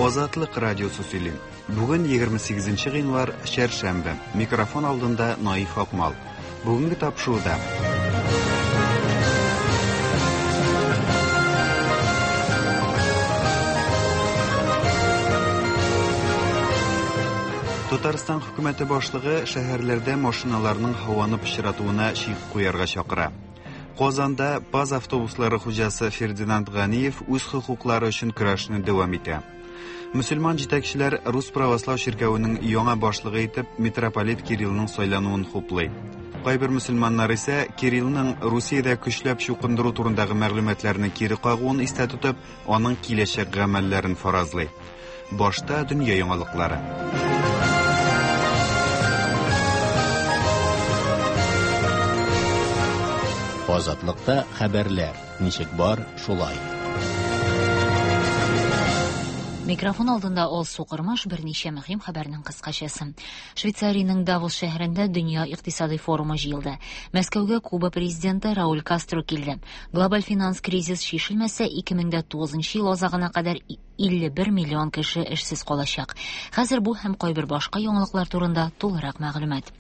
Азатлык радиосы сөйли. Бүген 28 гыйнвар, чәршәмбе. Микрофон алдында Наиф Акмал. Бүгенге тапшыруда Татарстан хөкүмәте башлыгы шәһәрләрдә машиналарның һаваны пычратуына чик куярга чакыра. Казанда ПАЗ автобуслары хуҗасы Фердинанд Ганиев үз хокуклары өчен көрәшне дәвам итә. Мөселман җитәкчеләр Рус православ чиркәвенең яңа башлыгы итеп митрополит Кириллның сайлануын хуплый. Кайбер мөселманнар исә Кириллның Русиядә көчләп чукындыру турындагы мәгълүматларны кире кагуын истә тотып, аның киләчәк гамәлләрен фаразлый. Башта дөнья яңалыклары. Азатлыкта хәбәрләр ничек бар, шулай. Микрофон алдында Алсу Кормаш берничә мөһим хәбәрнең кыскачасы. Швейцариянең Давос шәһәрендә Дөнья икътисадый форумы җыелды. Мәскәүгә Куба президенты Рауль Кастро килде. Глобаль финанс кризис чишелмәсә, 2009 ел азагына кадәр 51 миллион кеше эшсез калачак. Хәзер бу һәм кайбер башка яңалыклар турында тулырак мәгълүмат.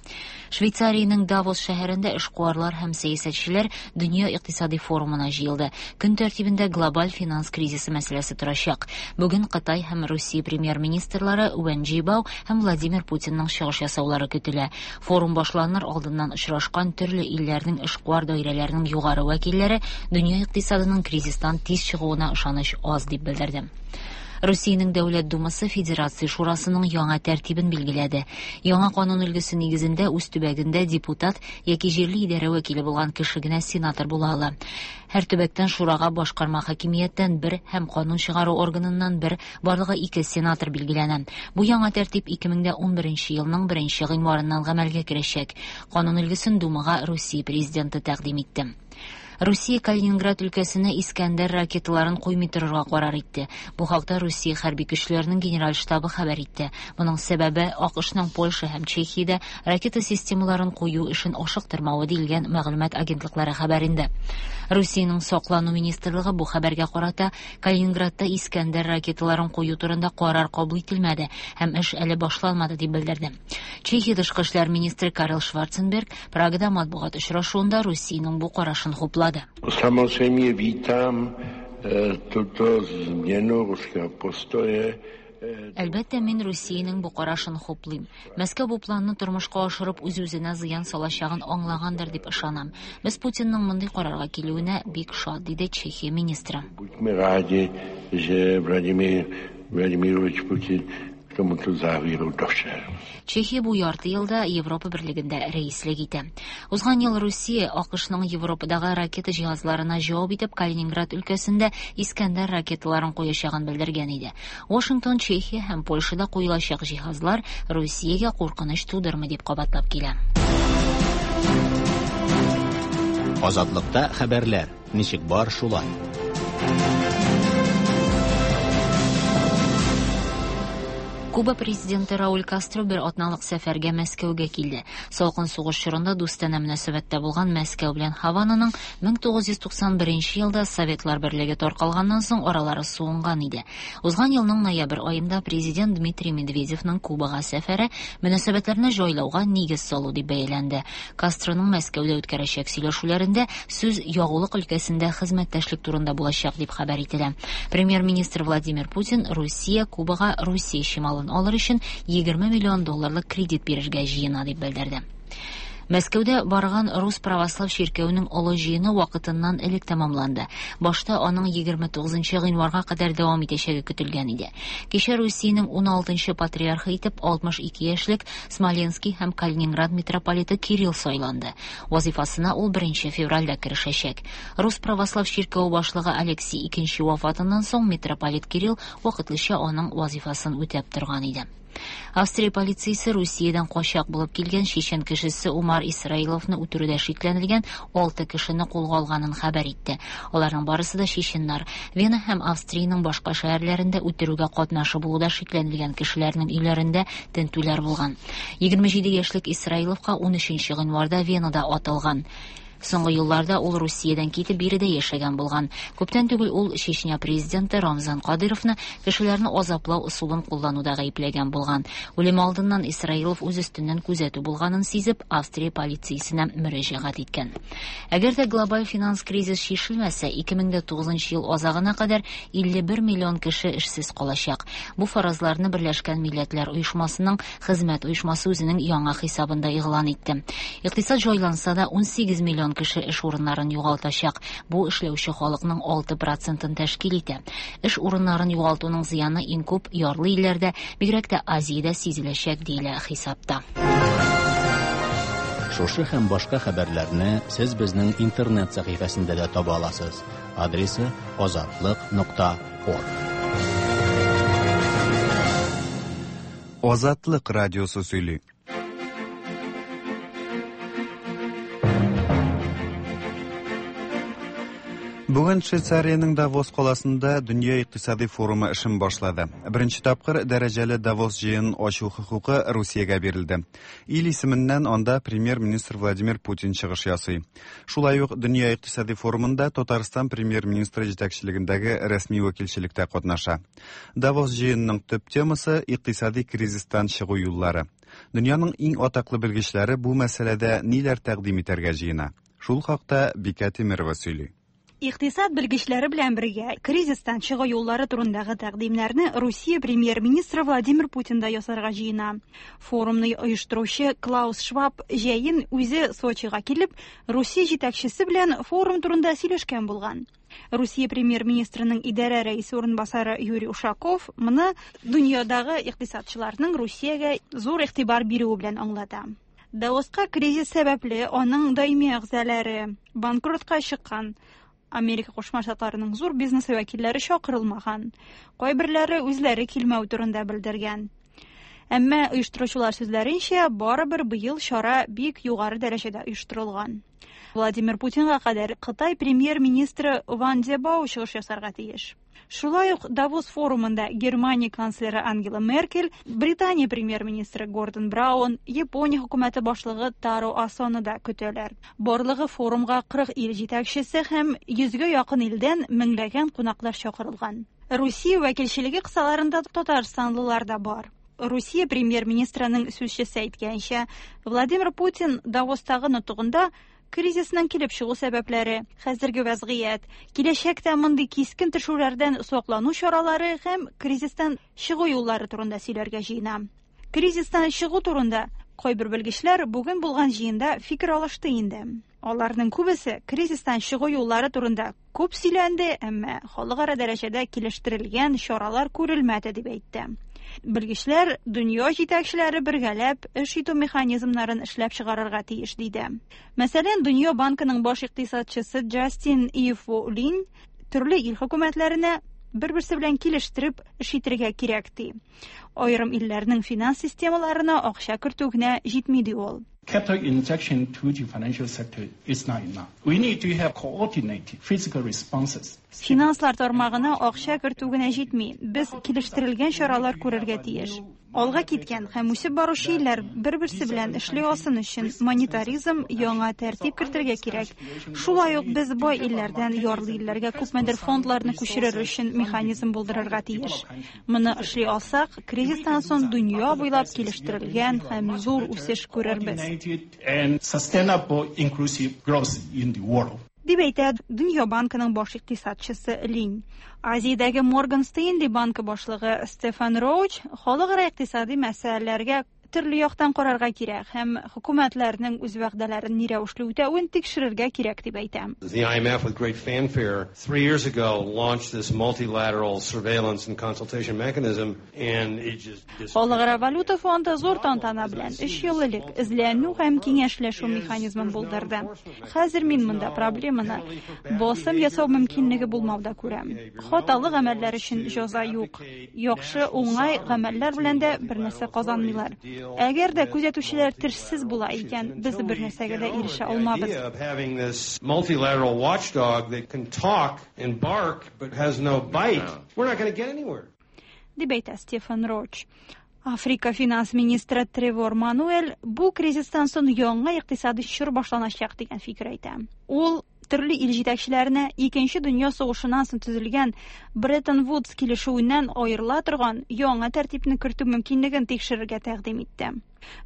Швейцариянең Давос шәһәрендә эшкуарлар һәм сәясәтчеләр Дөнья икътисадый форумына җыелды. Көн тәртибендә глобаль финанс кризисы мәсьәләсе торачак. Бүген Кытай һәм Русия премьер-министрлары Вэн Джибао һәм Владимир Путинның чыгыш ясаулары көтелә. Форум башланыр алдыннан очрашкан төрле илләрнең эшкуар даирәләренең югары вәкилләре дөнья икътисадының кризистан тиз чыгуына ышаныч аз дип белдерде. Русиянең Дәүләт Думасы Федерация Шурасының яңа тәртибен билгеләде. Яңа канун өлгесе нигезендә үз төбәгендә депутат яки җирле идарә вәкиле булган кеше генә сенатор була ала. Һәр төбәктән шурага башкарма хакимияттән бер һәм канун чыгару органыннан бер, барлыгы ике сенатор билгеләнә. Бу яңа тәртип 2011 елның 1 гыйнварыннан гамәлгә керәчәк. Канун өлгесен Думага Русия президенты тәкъдим итте. Русия Калининград өлкәсенә Искәндәр ракеталарын куймый торырга карар итте. Бу хакта Русия хәрби көчләренең генераль штабы хәбәр итте. Моның сәбәбе АКШның Польша һәм Чехиядә ракета системаларын кую эшен ашыктырмавы диелгән мәгълүмат агентлыклары хәбәрендә. Русиянең саклану министрлыгы бу хәбәргә карата Калининградта Искәндәр ракеталарын кую турында карар кабул ителмәде һәм эш әле башланмады дип белдерде. Чехия тышкы эшләр министры Карел Шварценберг Прагада матбугат очрашуында Русиянең бу карашын хуплады. Samozřejmě vítám tuto změnu ruského postoje. Әлбәттә, мин Русиянең бу карашын хуплыйм. Мәскәү бу планны тормышка ашырып үз-үзенә зыян салачагын аңлагандыр дип ышанам. Без Путинның мондый карарга килүенә бик шат, диде Чехия министры. Buďme rádi, že Vladimír Vladimirovič Putin k tomuto závěru došel. Чехия бу ярты елда Европа берлегендә рәислек итә. Узган ел Русия АКШның Европадагы ракета җиһазларына җавап итеп Калининград өлкәсендә Искәндәр ракеталарын куячагын белдергән иде. Вашингтон Чехия һәм Польшада куелачак җиһазлар Русиягә куркыныч тудырмый дип кабатлап килә. Азатлыкта хәбәрләр ничек бар, шулай. Куба президенты Рауль Кастро бер атналык сәфәргә Мәскәүгә килде. Салкын сугыш чорында дустанә мөнәсәбәттә булган Мәскәү белән Һавананың 1991 елда Советлар берлеге таркалганнан соң аралары суынган иде. Узган елның ноябрь аенда президент Дмитрий Медведевның Кубага сәфәре мөнәсәбәтләрне җайлауга нигез салу дип бәяләнде. Кастроның Мәскәүдә үткәрәчәк сөйләшүләрендә сүз ягулык өлкәсендә хезмәттәшлек турында булачак дип хәбәр ителә. Премьер-министр Владимир Путин Русия Кубага Русия чималын алыр өчен 20 миллион долларлык кредит бирергә җыена дип белдерде. Мәскәүдә барган Рус православ чиркәвенең олы җыены вакытыннан элек тәмамланды. Башта аның 29 гыйнварга кадәр дәвам итәчәге көтелгән иде. Кичә Русиянең 16 патриархы итеп 62 яшьлек Смоленский һәм Калининград митрополиты Кирилл сайланды. Вазифасына ул 1 февральдә керешәчәк. Рус православ чиркәве башлыгы Алексий II вафатыннан соң митрополит Кирилл вакытлыча аның вазифасын үтәп торган иде. Австрия полициясе Русиядән качак булып килгән чечен кешесе Умар Исраиловны үтерүдә шикләнелгән 6 кешене кулга алганын хәбәр итте. Аларның барысы да чеченнар. Вена һәм Австриянең башка шәһәрләрендә үтерүгә катнашы булуда шикләнелгән кешеләрнең өйләрендә тентүләр булган. 27 яшьлек Исраиловка 13 гыйнварда Венада атылган. Соңгы елларда ул Русиядән китеп биредә яшәгән булган. Күптән түгел ул Чечня президенты Рамзан Кадыровны кешеләрне азаплау ысулын куллануда гаепләгән булган. Үлеме алдыннан Исраилов үз өстеннән күзәтү булганын сизеп, Австрия полициясенә мөрәҗәгать иткән. Әгәр дә глобаль финанс кризис чишелмәсә, 2009 ел азагына кадәр 51 миллион кеше эшсез калачак. Бу фаразларны Берләшкән Милләтләр Оешмасының Хезмәт оешмасы үзенең яңа хисабында игълан итте. Икътисад җайланса да, 18 миллион кеше эш урыннарын югалтачак. Бу эшләүче халыкның 6 процентын тәшкил итә. Эш урыннарын югалтуның зыяны иң күп ярлы илләрдә, бигрәк тә Азиядә сизеләчәк, диелә хисапта. Шушы һәм башка хәбәрләрне сез безнең интернет сәхифәсендә дә таба аласыз. Адресы азатлык.орг. Азатлык радиосы сөйли. Бүген Швейцариянең Давос каласында Дөнья икътисади форумы эшен башлады. Беренче тапкыр дәрәҗәле Давос җыенын ачу хокукы Русиягә бирелде. Ил исеменнән анда премьер-министр Владимир Путин чыгыш ясый. Шулай ук Дөнья икътисади форумында Татарстан премьер-министры җитәкчелегендәге рәсми вәкилчелек тә катнаша. Давос җыенының төп темасы икътисади кризистан чыгу юллары. Дөньяның иң атаклы белгечләре бу мәсьәләдә ниләр тәкъдим итәргә җыена? Шул хакта Бикә Тимирова сөйли. Икътисад белгечләре белән бергә кризистан чыгу юллары турындагы тәкъдимнәрне Русия премьер-министры Владимир Путин да ясарга җыена. Форумны оештыручы Клаус Шваб җәен үзе Сочига килеп, Русия җитәкчесе белән форум турында сөйләшкән булган. Русия премьер-министрының идарә рәисе урынбасары Юрий Ушаков моны дөньядагы икътисадчыларның Русиягә зур игътибар бирүе белән аңлата. Давоска кризис сәбәпле аның даими әгъзалары банкротка чыккан Америка Кушма Штатларының зур бизнес вәкилләре чакырылмаган. Кайберләре үзләре килмәү турында белдергән. Әмма оештыручылар сүзләренчә, барыбер быел чара бик югары дәрәҗәдә оештырылган. Владимир Путинга кадәр Кытай премьер-министры Ван Дебао чыгыш ясарга тиеш. Шулай ук Давос форумында Германия канцлеры Ангела Меркель, Британия премьер-министры Гордон Браун, Япония хөкүмәте башлыгы Таро Асоны да көтәләр. Барлыгы форумга 40 ил җитәкчесе һәм 100гә якын илдән меңләгән кунаклар чакырылган. Русия вәкилчелеге кысаларында татарстанлылар да бар. Русия премьер-министрының сүзчесе әйткәнчә, Владимир Путин Давостагы нотыгында кризисның килеп чыгу сәбәпләре, хәзерге вәзгыять, киләчәктә мондый кискен төшүләрдән саклану чаралары һәм кризистан чыгу юллары турында сөйләргә җыена. Кризистан чыгу турында кайбер белгечләр бүген булган җыенда фикер алышты инде. Аларның күбесе кризистан чыгу юллары турында күп сөйләнде, әмма халыкара дәрәҗәдә килештерелгән чаралар күрелмәде дип әйтте. Белгечләр дөнья җитәкчеләре бергәләп эш итү механизмнарын эшләп чыгарырга тиеш диде. Мәсәлән, Дөнья банкының баш икътисадчысы Джастин Ифу Лин төрле ил хөкүмәтләренә бер-берсе белән килештереп эш итәргә кирәк ди. Аерым илләрнең финанс системаларына акча кертү генә җитми ди ул. Capital injection to the financial sector is not enough. We need to have coordinated fiscal responses. Финанслар тармагына акча кертү генә җитми. Без килештерелгән чаралар күрергә тиеш. Алга киткән һәм үсеп баручы илләр бер-берсе белән эшли алсын өчен монетаризм яңа тәртип кертергә кирәк. Шулай ук без бай илләрдән ярлы илләргә күпмедер фондларны күчерер өчен механизм булдырырга тиеш. Моны эшли алсак, кризистан соң дөнья буйлап килештерелгән һәм зур үсеш күрербез. And sustainable inclusive growth in the world. Дип әйтә Дөнья банкының баш икътисадчысы Лин. Азиядәге Морган Стэнли банкы башлыгы Стефан Роуч халыкара икътисади мәсьәләләргә төрле яктан карарга кирәк һәм хөкүмәтләрнең үз вәгъдәләрен ни рәвешле үтәвен тикшерергә кирәк дип әйтә. The IMF, with great fanfare, 3 years ago launched this multilateral surveillance and consultation mechanism, and it just Халыкара валюта фонды зур тантана белән 3 ел элек эзләнү һәм киңәшләшү механизмын булдырды. Хәзер мин монда проблеманы басым ясау мөмкинлеге булмауда күрәм. Хаталы гамәлләр өчен җәза юк. Яхшы, уңай гамәлләр белән дә бер нәрсә казанмыйлар. Әгәр дә күзәтүчеләр тешсез була икән, без бер нәрсәгә дә ирешә алмабыз. Of having this multilateral watchdog that can talk and bark but has no bite, we're not going to get anywhere. Дип әйтә Стефан Роуч. Африка финанс министры Тревор Мануэль бу кризистан соң яңа икътисади чор башланачак дигән фикер әйтә. Ул төрле ил җитәкчеләренә Икенче дөнья сугышыннан соң төзелгән Бреттон Вудс килешүеннән аерыла торган яңа тәртипне кертү мөмкинлеген тикшерергә тәкъдим итте.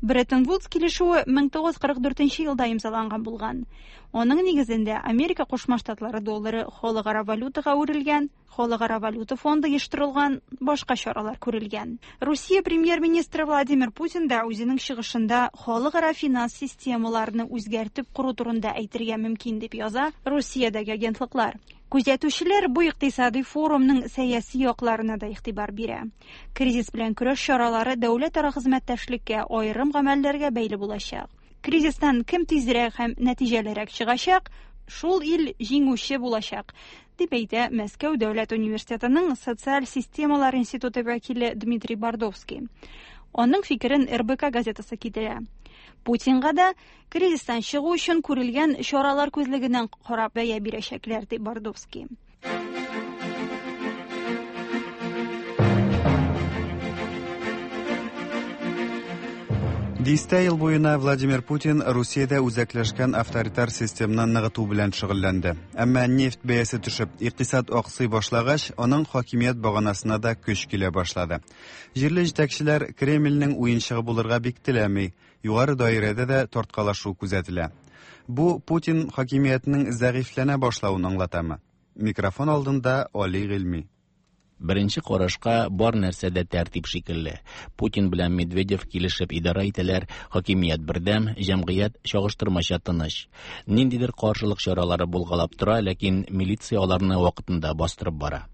Бреттон Вудс килешүе 1944 елда имзаланган булган. Аның нигезендә Америка Кушма Штатлары доллары халыкара валютага әверелгән, Халыкара валюта фонды оештырылган, башка чаралар күрелгән. Русия премьер-министры Владимир Путин да үзенең чыгышында халыкара финанс системаларны үзгәртеп кору турында әйтергә мөмкин дип яза Русиядәге агентлыклар. Күзәтүчеләр бу икътисади форумның сәяси якларына да игътибар бирә. Кризис белән көрәш чаралары дәүләтара хезмәттәшлеккә, аерым гамәлләргә бәйле булачак. Кризистан кем тизрәк һәм нәтиҗәлерәк чыгачак, шул ил җиңүче булачак, дип әйтә Мәскәү дәүләт университетының социаль системалар институты вәкиле Дмитрий Бордовский. Аның фикерен РБК газетасы китерә. Путинга да кризистан чыгу өчен күрелгән чаралар күзлегеннән карап бәя бирәчәкләр, ди Бордовский. Дистә ел буена Владимир Путин Русиядә үзәкләшкән авторитар системны ныгыту белән шөгыльләнде. Әмма нефть бәясе төшеп, икътисад аксый башлагач, аның хакимият баганасына да көч килә башлады. Җирле җитәкчеләр Кремльнең уенчыгы булырга бик теләми, югары даирәдә дә тарткалашу күзәтелә. Бу Путин хакимиятенең зәгыйфьләнә башлавын аңлатамы? Микрофон алдында Али Гыйльми. Беренче карашка бар нәрсә дә тәртип шикелле. Путин белән Медведев килешеп идарә итәләр, хакимият бердәм, җәмгыять чагыштырмача тыныч. Ниндидер каршылык чаралары булгалап тора, ләкин милиция аларны вакытында бастырып бара.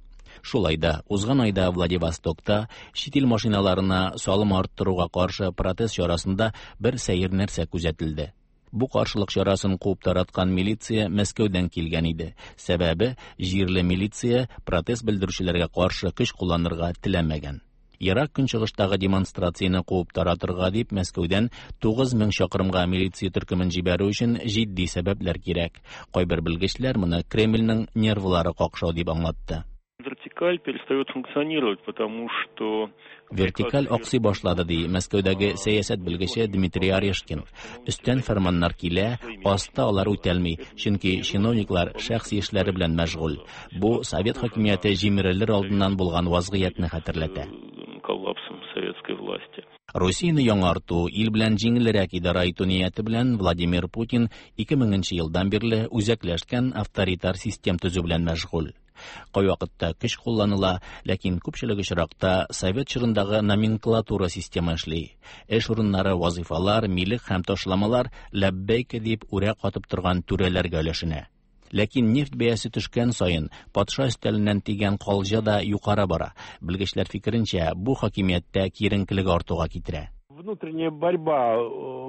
Шулай да, узган айда Владивостокта чит ил машиналарына салым арттыруга каршы протест чарасында бер сәер нәрсә күзәтелде. Бу каршылык чарасын куып тараткан милиция Мәскәүдән килгән иде. Сәбәбе, җирле милиция протест белдерүчеләргә каршы көч кулланырга теләмәгән. Ерак Көнчыгыштагы демонстрацияне куып таратырга дип Мәскәүдән 9000 чакрымга милиция төркемен җибәрү өчен җитди сәбәпләр кирәк. Кайбер белгечләр моны Кремльнең нервлары какшау дип аңлатты. Вертикаль перестает функционировать, потому что Вертикаль аксый башлады, ди Мәскәүдәге сәясәт белгече Дмитрий Орешкин. Өстән фәрманнар килә, аста алар үтәлми, чөнки чиновниклар шәхси эшләре белән мәшгуль. Бу совет хакимияте җимерелер алдыннан булган вазгыятьне хәтерләтә. Коллапсом советской власти. Русияне яңарту, ил белән җиңелрәк идарә итү нияте белән Владимир Путин 2000 елдан бирле үзәкләшкән авторитар систем төзү белән мәшгуль. Кайвакытта көч кулланыла, ләкин күпчелек очракта совет чорындагы номенклатура системы эшли. Эш урыннары, вазыйфалар, милек һәм ташламалар ләббәйк дип үрә катып торган түрәләргә өләшенә. Ләкин нефть бәясе төшкән саен патша өстәленнән тигән калҗа да юкара бара. Белгечләр фикеренчә, бу хакимияттә киеренкелек артуга китерә. Внутренняя борьба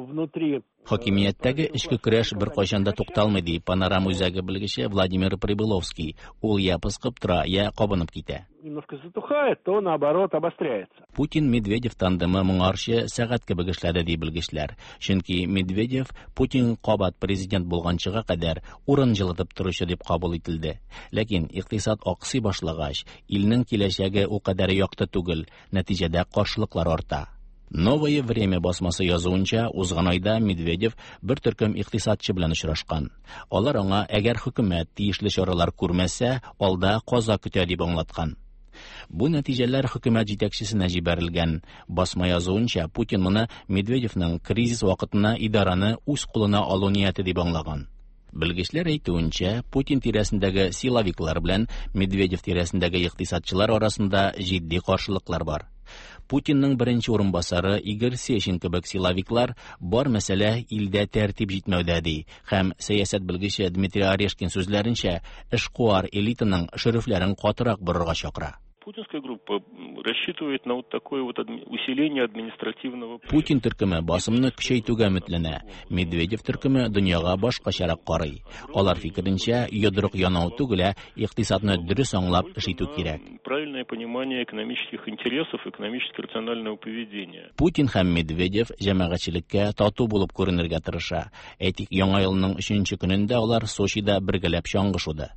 внутри Хакимияттәге эчке көрәш беркайчан да тукталмый, ди Панорама үзәге белгече Владимир Прибыловский. Ул я пыскып тора, я кабынып китә. Немножко затухает, то наоборот обостряется. Путин-Медведев тандемы моңарчы сәгать кебек эшләде, ди белгечләр. Чөнки Медведев Путин кабат президент булганчыга кадәр урын җылытып торучы дип кабул ителде. Ләкин икътисад аксый башлагач, илнең киләчәге ул кадәр якты түгел, нәтиҗәдә каршылыклар арта. Новое время басмасы язуынча, узган айда Медведев бер төркем икътисадчы белән очрашкан. Алар аңа, әгәр хөкүмәт тиешле чаралар күрмәсә, алда каза көтә дип аңлаткан. Бу нәтиҗәләр хөкүмәт җитәкчесенә җибәрелгән. Басма язуынча, Путин моны Медведевның кризис вакытына идараны үз кулына алу нияте дип аңлаган. Белгечләр әйтүенчә, Путин тирәсендәге силовиклар белән Медведев тирәсендәге икътисадчылар арасында җитди каршылыклар бар. Путинның беренче урынбасары Игорь Сечин кебек силовиклар бар мәсьәлә илдә тәртип җитмәүдә ди һәм сәясәт белгече Дмитрий Орешкин сүзләренчә, эшкуар элитаның шөрефләрен катырак борырга чакыра. Путинская группа рассчитывает на вот такое вот усиление административного... Путин төркеме басымны көчәйтүгә өметләнә. Медведев төркеме дөньяга башкачарак карый. Алар фикеренчә, йодрык янау түгел, ә икътисадны дөрес аңлап эш итү кирәк. Правильное понимание экономических интересов, экономически рационального поведения. Путин һәм Медведев җәмәгатьчелеккә тату булып күренергә тырыша. Әйтик, Яңа елның 3 көнендә алар Сочида бергәләп чаңгы шуды.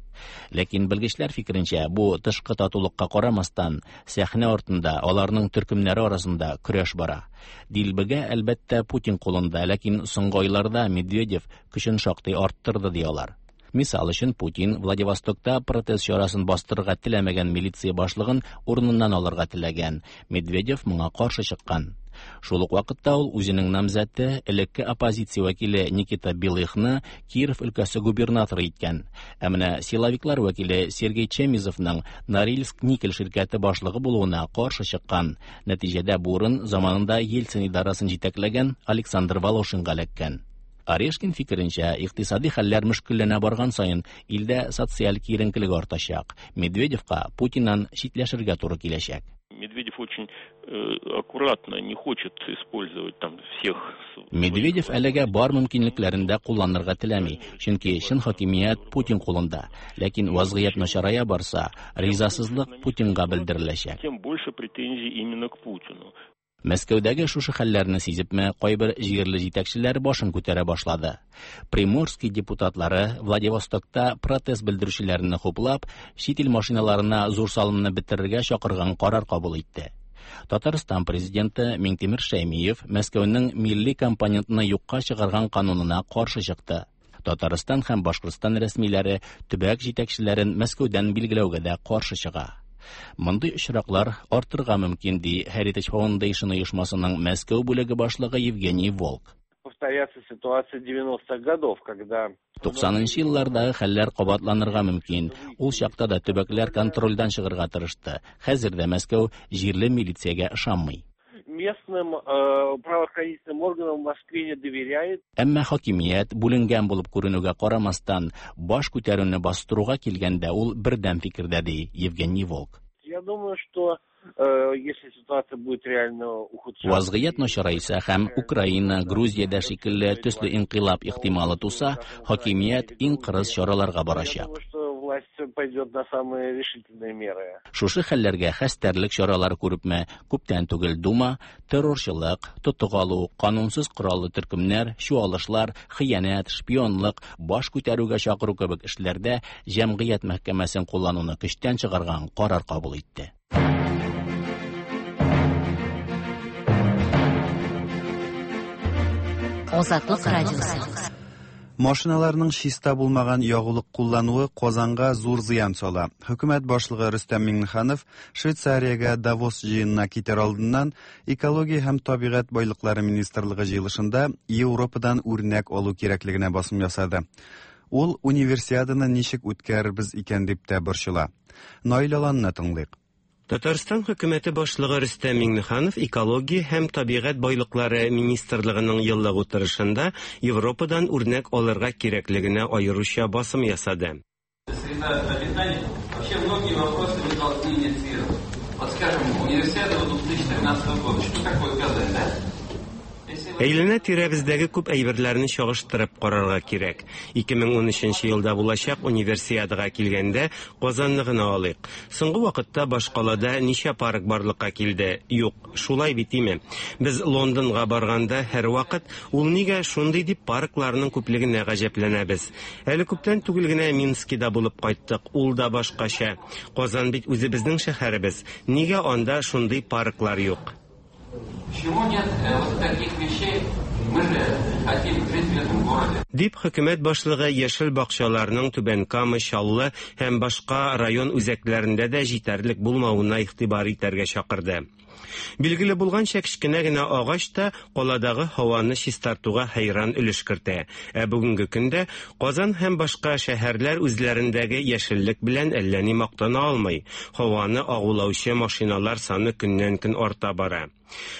Ләкин белгечләр фикеренчә, бу тышкы татулыкка карамастан, сәхнә артында аларның төркемнәре арасында көрәш бара. Дилбегә, әлбәттә, Путин кулында, ләкин соңгы айларда Медведев көчен шактый арттырды, ди алар. Мисал өчен, Путин Владивостокта протест чарасын бастырырга теләмәгән милиция башлыгын урыныннан алырга теләгән. Медведев моңа каршы чыккан. Шул ук вакытта ул үзенең намзәте, элекке оппозиция вәкиле Никита Белыхны Киров өлкәсе губернаторы иткән. Ә менә силовиклар вәкиле Сергей Чемизовның Норильск никель ширкәте башлыгы булуына каршы чыккан. Нәтиҗәдә бу урын заманында Ельцин идарасын җитәкләгән Александр Волошинга эләккән. Орешкин фикеренчә, икътисади хәлләр мөшкелләнә барган саен илдә социаль киеренкелек артачак. Медведевка Путиннан читләшергә туры киләчәк. Медведев очень аккуратно не хочет использовать там всех. Медведев әлегә бар мөмкинлекләрен дә кулланырга теләми, чөнки чын хакимият Путин кулында. Ләкин вазгыять начарая барса, ризасызлык Путинга белдереләчәк. Тем больше претензий именно к Путину. Мәскәүдәге шушы хәлләрне сизепме, кайбер җирле җитәкчеләр башын күтәрә башлады. Приморский депутатлары Владивостокта протест белдерүчеләрне хуплап, чит ил машиналарына зур салымны бетерергә чакырган карар кабул итте. Татарстан президенты Миңтимер Шәймиев Мәскәүнең милли компонентны юкка чыгарган канунына каршы чыкты. Татарстан һәм Башкортстан рәсмиләре төбәк җитәкчеләрен Мәскәүдән билгеләүгә дә каршы чыга. Мондый очраклар артырга мөмкин, ди Heritage Foundation оешмасының Мәскәү бүлеге башлыгы Евгений Волк. Повторяться ситуация 90-х годов, когда 90нчы еллардагы хәлләр кабатланырга мөмкин. Ул чакта да төбәкләр контрольдән чыгарга тырышты. Хәзер дә Мәскәү җирле милициягә ышанмый. Местным правоохранительным органам в Москве не доверяет. Әмма хакимият бүленгән булып күренүгә карамастан, баш күтәрүне бастыруга килгәндә ул бердәм фикердә, ди Евгений Волк. Я думаю, что если ситуация будет реально ухудшаться. Вазгыять начарайса һәм Украина, Грузиядә шикелле төсле инкыйлаб ихтималы туса, хакимият иң кырыс чараларга Я барачак. думаю, что власть пойдет на самые решительные меры. Шушы хәлләргә хәстәрлек чаралары күрепме, күптән түгел Дума террорчылык, тотык алу, канунсыз кораллы төркемнәр, чуалышлар, хыянәт, шпионлык, баш күтәрүгә чакыру кебек эшләрдә җәмгыять мәхкәмәсен куллануны көчтән чыгарган карар кабул итте. Азатлык радиосы. Машиналарның чиста булмаган ягулык куллануы Казанга зур зыян сала. Хөкүмәт башлыгы Рөстәм Миңнеханов Швейцариягә Давос җыенына китәр алдыннан Экология һәм табигать байлыклары министрлыгы җыелышында Европадан үрнәк алу кирәклегенә басым ясады. Ул универсиаданы ничек үткәрербез икән дип тә борчыла. Наил Аланны тыңлыйк. Татарстан хөкүмәте башлыгы Рөстәм Миңнеханов Экология һәм табигать байлыклары министрлыгының еллык утырышында Европадан үрнәк алырга кирәклегенә аеруча басым ясады. Среда обитания. Вообще многие вопросы вы должны инициировать. Вот скажем, универсиада 2013 года. Что такое Казань, да? Если вы- Әйләнә тирәбездәге күп әйберләрне чагыштырып карарга кирәк. 2013 елда булачак универсиадага килгәндә Казанны гына алыйк. Соңгы вакытта башкалада ничә парк барлыкка килде? Юк, шулай бит име? Без Лондонга барганда һәрвакыт ул нигә шундый дип паркларның күплегенә гаҗәпләнәбез. Әле күптән түгел генә Минскида булып кайттык, ул да башкача. Казан бит үзебезнең шәһәребез. Нигә анда шундый парклар юк? Почему нет вот таких вещей? Мы же хотим жить в этом городе. Дип хөкүмәт башлыгы яшел бакчаларның Түбән Кама, Чаллы һәм башка район үзәкләрендә дә җитәрлек булмавына игътибар итәргә чакырды. Билгеле булганча, кечкенә генә агач та каладагы һаваны чистартуга хәйран өлеш кертә. Ә бүгенге көндә Казан һәм башка шәһәрләр үзләрендәге яшеллек белән әллә ни мактана алмый. Һаваны агулаучы машиналар саны көннән-көн арта бара.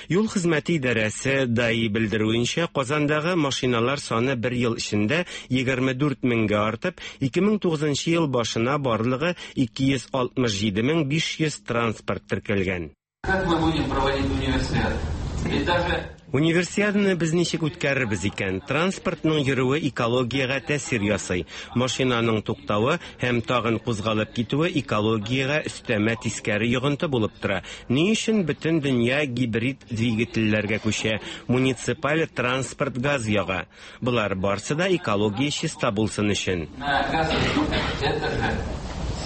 Юл хезмәте идарәсе ДАИ белдерүенчә, Казандагы машиналар саны бер ел эчендә 24 меңгә артып, 2009 ел башына барлыгы 267 500 транспорт теркәлгән. Как мы будем проводить универсиаду? Ведь даже Универсиаданы без ничек үткәрербез икән? Транспортның йөрүе экологиягә тәэсир ясый. Машинаның туктавы һәм тагын кузгалып китүе экологиягә өстәмә тискәре йогынты булып тора. Ни өчен бөтен дөнья гибрид двигательләргә күчә, муниципаль транспорт газ яга? Болар барсы да экология чиста булсын өчен. На газовый двигатель это же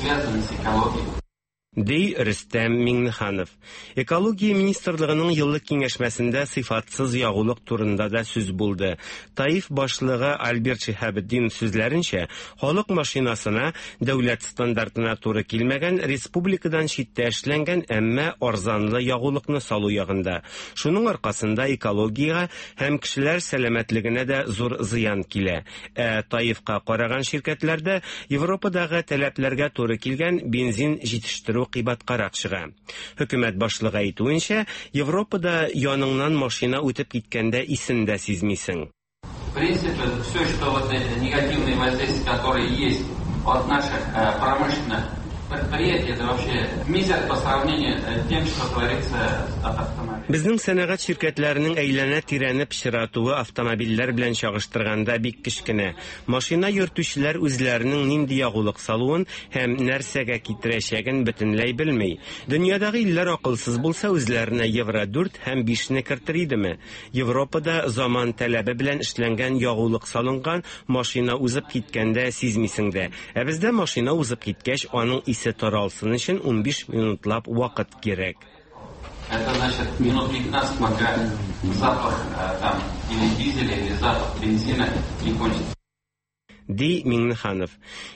связано с экологией. Ди Рөстәм Миңнеханов. Экология министрлыгының еллык киңәшмәсендә сыйфатсыз ягулык турында да сүз булды. ТАИФ башлыгы Альберт Шиһабетдинов сүзләренчә, халык машинасына дәүләт стандартына туры килмәгән, республикадан читтә эшләнгән, әмма арзанлы ягулыкны салу ягында. Шуның аркасында экологиягә һәм кешеләр сәламәтлегенә дә зур зыян килә. Ә ТАИФка караган ширкәтләрдә Европадагы таләпләргә туры килгән бензин җитештерү кыйбаткарак чыга. Хөкүмәт башлыгы әйтүенчә, Европада яныңнан машина үтеп киткәндә исен дә сизмисең. В принципе, все, что вот эти негативные воздействия, которые есть от наших промышленных предприятий, это вообще мизер по сравнению с тем, что творится от автомобиля. Безнең сәнәгать ширкәтләренең әйләнә-тирәне пычратуы автомобильләр белән чагыштырганда бик кечкенә. Машина йөртүчеләр үзләренең нинди ягулык салуын һәм нәрсәгә китерәчәген бөтенләй белми. Дөньядагы илләр акылсыз булса, үзләренә Евро 4 һәм 5-не кертер идеме? Европада заман таләбе белән эшләнгән ягулык салынган машина узып киткәндә сизмисең дә. Ә бездә машина узып киткәч, аның исе таралсын өчен 15 минутлап вакыт кирәк. Это значит минут 15, пока запах там или дизеля, или запах бензина не кончится. Ди Миңнеханов.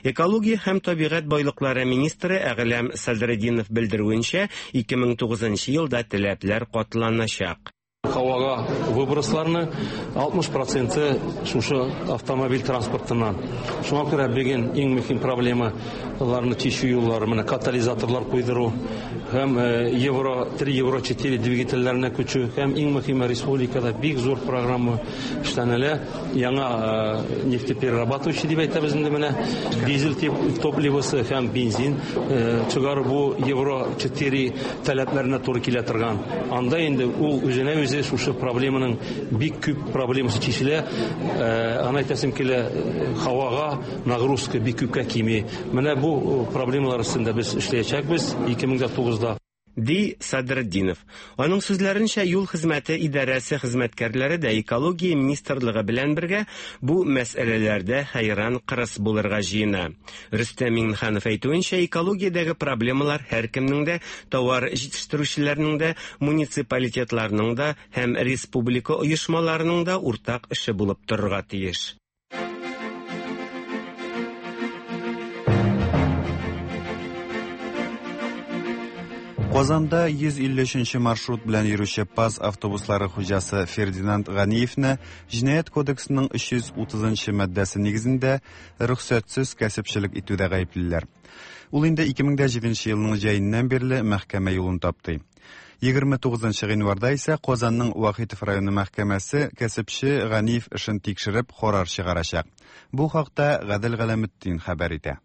Экология һәм табигать байлыклары министры Әгъләм Садретдинов белдерүенчә, 2009 елда таләпләр катланачак. Һавага выбросларны 60% шушы автомобиль транспортыннан. Шуңа күрә бүген иң мөһим проблемаларны чишү юллары менә катализаторлар куйдыру һәм Евро 3, Евро 4 двигательләренә күчү һәм иң мөһиме республикада бик зур программа эшләнелә. Яңа нефтеперерабатывающий дип әйтәбез инде менә дизель топливосы һәм бензин чыгару бу Евро 4 таләпләренә туры килә торган. Анда инде ул үзенә үзе шушы проблеманың бик күп проблемасы чишелә. Аны әйтәсем килә, һавага нагрузка бик күпкә кими. Менә бу проблемалар өстендә без эшләячәкбез 2009-да. Ди Садретдинов. Аның сүзләренчә, юл хезмәте идарәсе хезмәткәрләре дә экология министрлыгы белән бергә бу мәсьәләләрдә хәйран кырыс булырга җыена. Рөстәм Миңнеханов әйтүенчә, экологиядәге проблемалар һәркемнең дә, товар җитештерүчеләрнең дә, муниципалитетларның да һәм республика оешмаларының да уртак эше булып торырга тиеш. Казанда 153 маршрут белән йөрүче ПАЗ автобуслары хуҗасы Фердинанд Ганиевны Җинаять кодексының 330 маддәсе нигезендә рөхсәтсез кәсепчелек итүдә гаеплиләр. Ул инде 2007 елның җәеннән бирле мәхкәмә юлын тапты. 29 гыйнварда исә Казанның Вахитов районы мәхкәмәсе кәсепче Ганиев эшен тикшереп карар чыгарачак. Бу хакта Гадел Галәметдин хәбәр итә.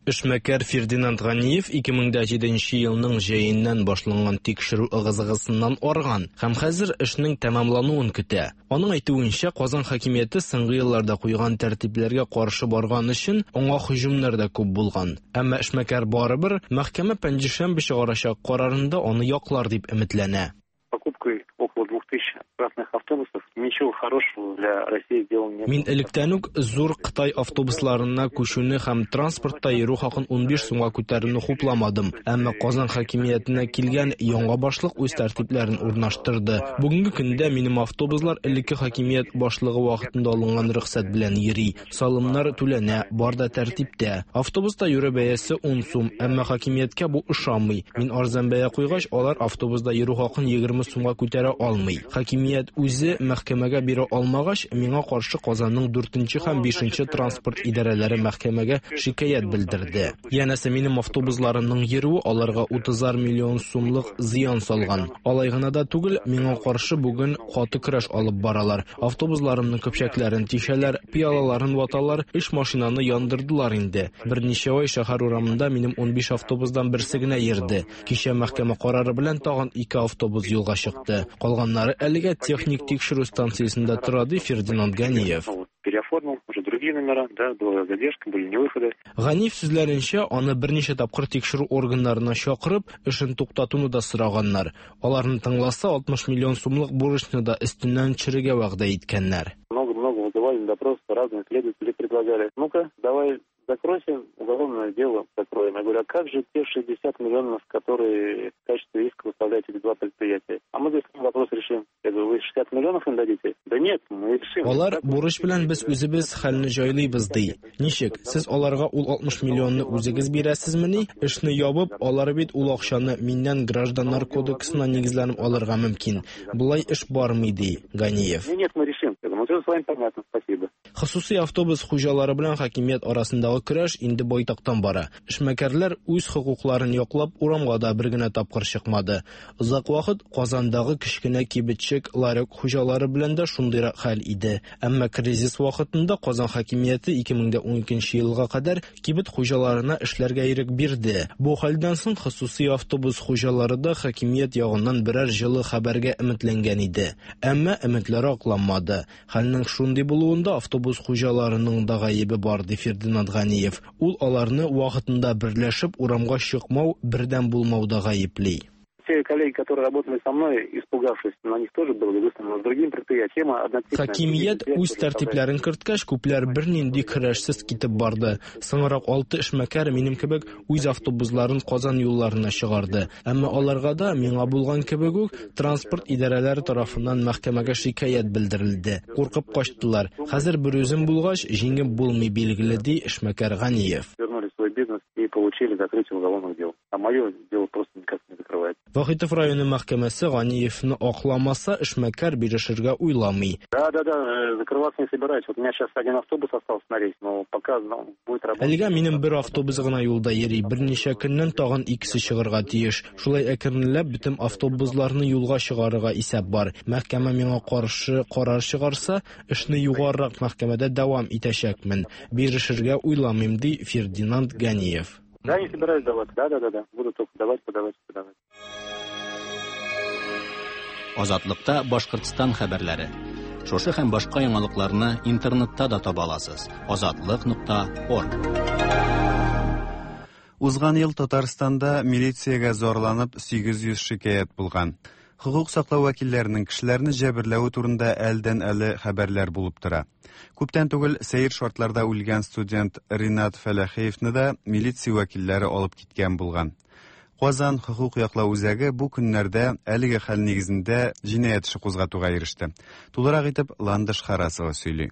Эшмәкәр Фердинанд Ганиев 2007 елның җәеннән башланган тикшерү ыгы-зыгысыннан арган һәм хәзер эшнең тәмамлануын көтә. Аның әйтүенчә, Казан хакимияте соңгы елларда куйган тәртипләргә каршы барган өчен аңа һөҗүмнәр дә күп булган. Әмма эшмәкәр барыбер мәхкәмә пәнҗешәмбе чыгарачак карарында аны яклар дип өметләнә. Покупкой около 2000 красных автобусов ничего хорошего для России сделано не было. Мин электән үк зур Кытай автобусларына күчүне һәм транспортта йөрү хакын 15 сумга күтәрүне хупламадым. Әмма Казан хакимиятенә килгән яңа башлык үз тәртипләрен урнаштырды. Бүгенге көндә минем автобуслар элекке хакимият башлыгы вакытында алынган рөхсәт белән йөри. Салымнар түләнә, бар да тәртиптә. Автобуста йөрү бәясе 10 сум, әмма хакимияткә бу ошамый. Мин арзан бәя куйгач, алар автобуста йөрү хакын 20 сумга күтәрә алмый. Хакимият үзе мәхкәмәгә мәхкәмәгә бирә алмагач, миңа каршы Казанның 4 һәм 5 транспорт идарәләре мәхкәмәгә шикаять белдерде. Янәсе, минем автобусларымның йөрүе аларга 30 миллион сумлык зыян салган. Алай гына да түгел, миңа каршы бүген каты көрәш алып баралар. Автобусларымның көпчәкләрен тишәләр, пыялаларын ваталар, өч машинаны яндырдылар инде. Берничә ай шәһәр урамында минем 15 автобусдан берсе генә йөрде. Кичә мәхкәмә карары белән тагын ике автобус юлга чыкты. Калганнары әлегә техник тикшерү станциясендә тора, ди Фердинанд Ганиев. Переоформил, уже другие номера, да, была задержка, были невыходы. Ганиев сүзләренчә, аны берничә тапкыр тикшерү органнарына чакырып, эшен туктатуны да сораганнар. Аларны тыңласа, 60 миллион сумлык бурычны да өстеннән төшерергә вәгъдә иткәннәр. Много-много вызывали на допрос, разные следователи предлагали. Ну-ка, давай закройся, уголовное дело закроем. Я говорю, а как же те 60 миллионов, которые в качестве иска выставляете эти два предприятия? А мы, говорит, вопрос решим. Я говорю, вы 60 миллионов им дадите? Да нет, мы решим. Алар бурыч белән без үзебез хәлне җайлыйбыз ди. Ничек? Сез аларга ул 60 миллионны үзегез бирәсезмени? Эшне ябып, алар бит ул акчаны миннән гражданнар кодексына нигезләнеп алырга мөмкин. Болай эш бармый, ди Ганиев. Нет, мы решим. Я говорю, ну все с вами понятно, спасибо. Хосусый автобус хуҗалары белән хакимият арасындагы көрәш инде байтактан бара. Эшмәкәрләр үз хокукларын яклап урамга да бер генә тапкыр чыкмады. Озак вакыт Казандагы кечкенә кибетчек ларек хуҗалары белән дә шундыйрак хәл иде. Әмма кризис вакытында Казан хакимияте 2012 елга кадәр кибет хуҗаларына эшләргә ирек бирде. Бу хәлдән соң хосусый автобус хуҗалары да хакимият ягыннан берәр җылы хәбәргә өметләнгән иде. Әмма өметләре акланмады. Хәлнең шундый булуында автобус хуҗаларының да гаебе бар, ди Фердинанд Ганиев. Ул аларны вакытында берләшеп урамга чыкмау, бердәм булмауда гаепли. Те коллеги, которые работали со мной, испугавшись, на них тоже было выставлено с другим предприятием, однотипная. Хакимият үз тәртипләрен керткәч, күпләр бернинди көрәшсез китеп барды. Соңрак алты эшмәкәр минем кебек үз автобусларын Казан юлларына чыгарды. Әмма аларга да, миңа булган кебек үк, транспорт идарәләре тарафыннан мәхкәмәгә шикаять белдерелде. Куркып качтылар. Хәзер берүзем булгач, җиңеп булмый, билгеле, ди эшмәкәр Ганиев. Вернули свой бизнес и получили закрытие уголовных дел. А мое дело просто никак не закрывается. Вахитов районы мәхкәмәсе Ганиевны акламаса, эшмәкәр бирешергә уйламый. Да, да, да, закрываться не собираюсь. Вот у меня сейчас один автобус остался на рейс, но пока, ну, будет работать. Әлегә минем бер автобус гына юлда йөри. Берничә көннән тагын икесе чыгарга тиеш. Шулай әкренләп бөтен автобусларны юлга чыгарырга исәп бар. Мәхкәмә миңа каршы карар чыгарса, эшне югарырак мәхкәмәдә дәвам итәчәкмен. Бирешергә уйламыйм, ди Фердинанд Ганиев. Да, не собираюсь давать. Да, да, да, да. Буду только давать, подавать, подавать. Азатлыкта Башкортстан хәбәрләре. Шушы һәм башка яңалыкларны интернетта да таба аласыз. Азатлык.орг. Узган ел Татарстанда милициягә зарланып 800 шикаять булган. Хокук саклау вәкилләренең кешеләрне җәберләве турында әлдән-әле хәбәрләр булып тора. Күптән түгел сәер шартларда үлгән студент Ринат Фәләхиевны да милиция вәкилләре алып киткән булган. Казан хокук яклау үзәге бу көннәрдә әлеге хәл нигезендә җинаять эше кузгатуга иреште. Тулырак итеп Ландыш Харасова сөйли.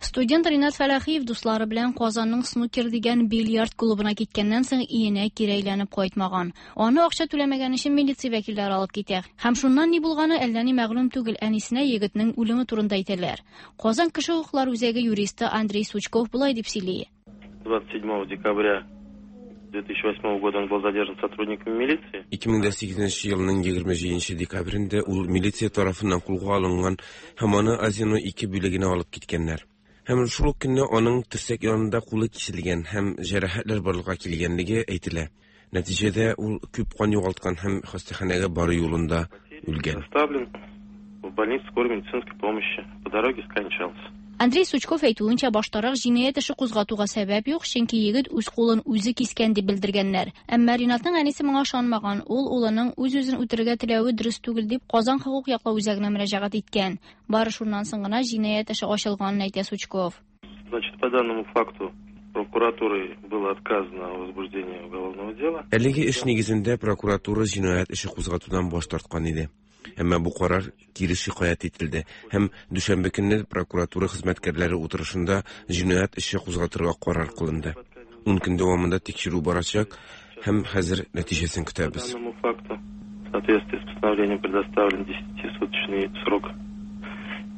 Студент Ринат Фәләхиев дуслары белән Казанның Снукер дигән бильярд клубына киткәннән соң өенә кире әйләнеп кайтмаган. Аны акча түләмәгән өчен милиция вәкилләре алып китә. Һәм шуннан ни булганы әллә ни мәгълүм түгел. Әнисенә егетнең үлеме турында әйтәләр. Казан кеше хокуклары үзәге юристы Андрей Сучков болай дип сөйли. 27 декабря 2008 года он был задержан сотрудниками милиции. 2008 елның 27 декабрендә ул милиция тарафыннан кулга алынган һәм аны Азино 2 бүлегенә алып киткәннәр. Һәм шул ук көнне аның терсәк янында кулы киселгән һәм җәрәхәтләр барлыкка килгәнлеге әйтелә. Нәтиҗәдә ул күп кан югалткан һәм хастаханәгә бару юлында үлгән. Доставлен в больницу скорой медицинской помощи. По дороге скончался. Андрей Сучков әйтүенчә, баштарак җинаять эше кузгатуга сәбәп юк, чөнки егет үз кулын үзе кискән дип белдергәннәр. Әмма Ринатның әнисе моңа ышанмаган. Ул улының үз-үзен үтерергә теләве дөрес түгел дип Казан хокук яклау үзәгенә мөрәҗәгать иткән. Бары шуннан соң гына җинаять эше ачылганын әйтә Сучков. Значит, по данному факту прокуратурой было отказано о возбуждении уголовного дела. Әлеге эш нигезендә прокуратура җинаять эше кузгатудан баш тарткан иде. Әмма бу карар кире шикаять ителде һәм дүшәмбе көнне прокуратура хезмәткәрләре утырышында җинаять эше кузгатырга карар кылынды. 10 көн дәвамында тикшерү барачак һәм хәзер нәтиҗәсен көтәбез. По данному факту в соответствии с постановлением предоставлен 10-суточный срок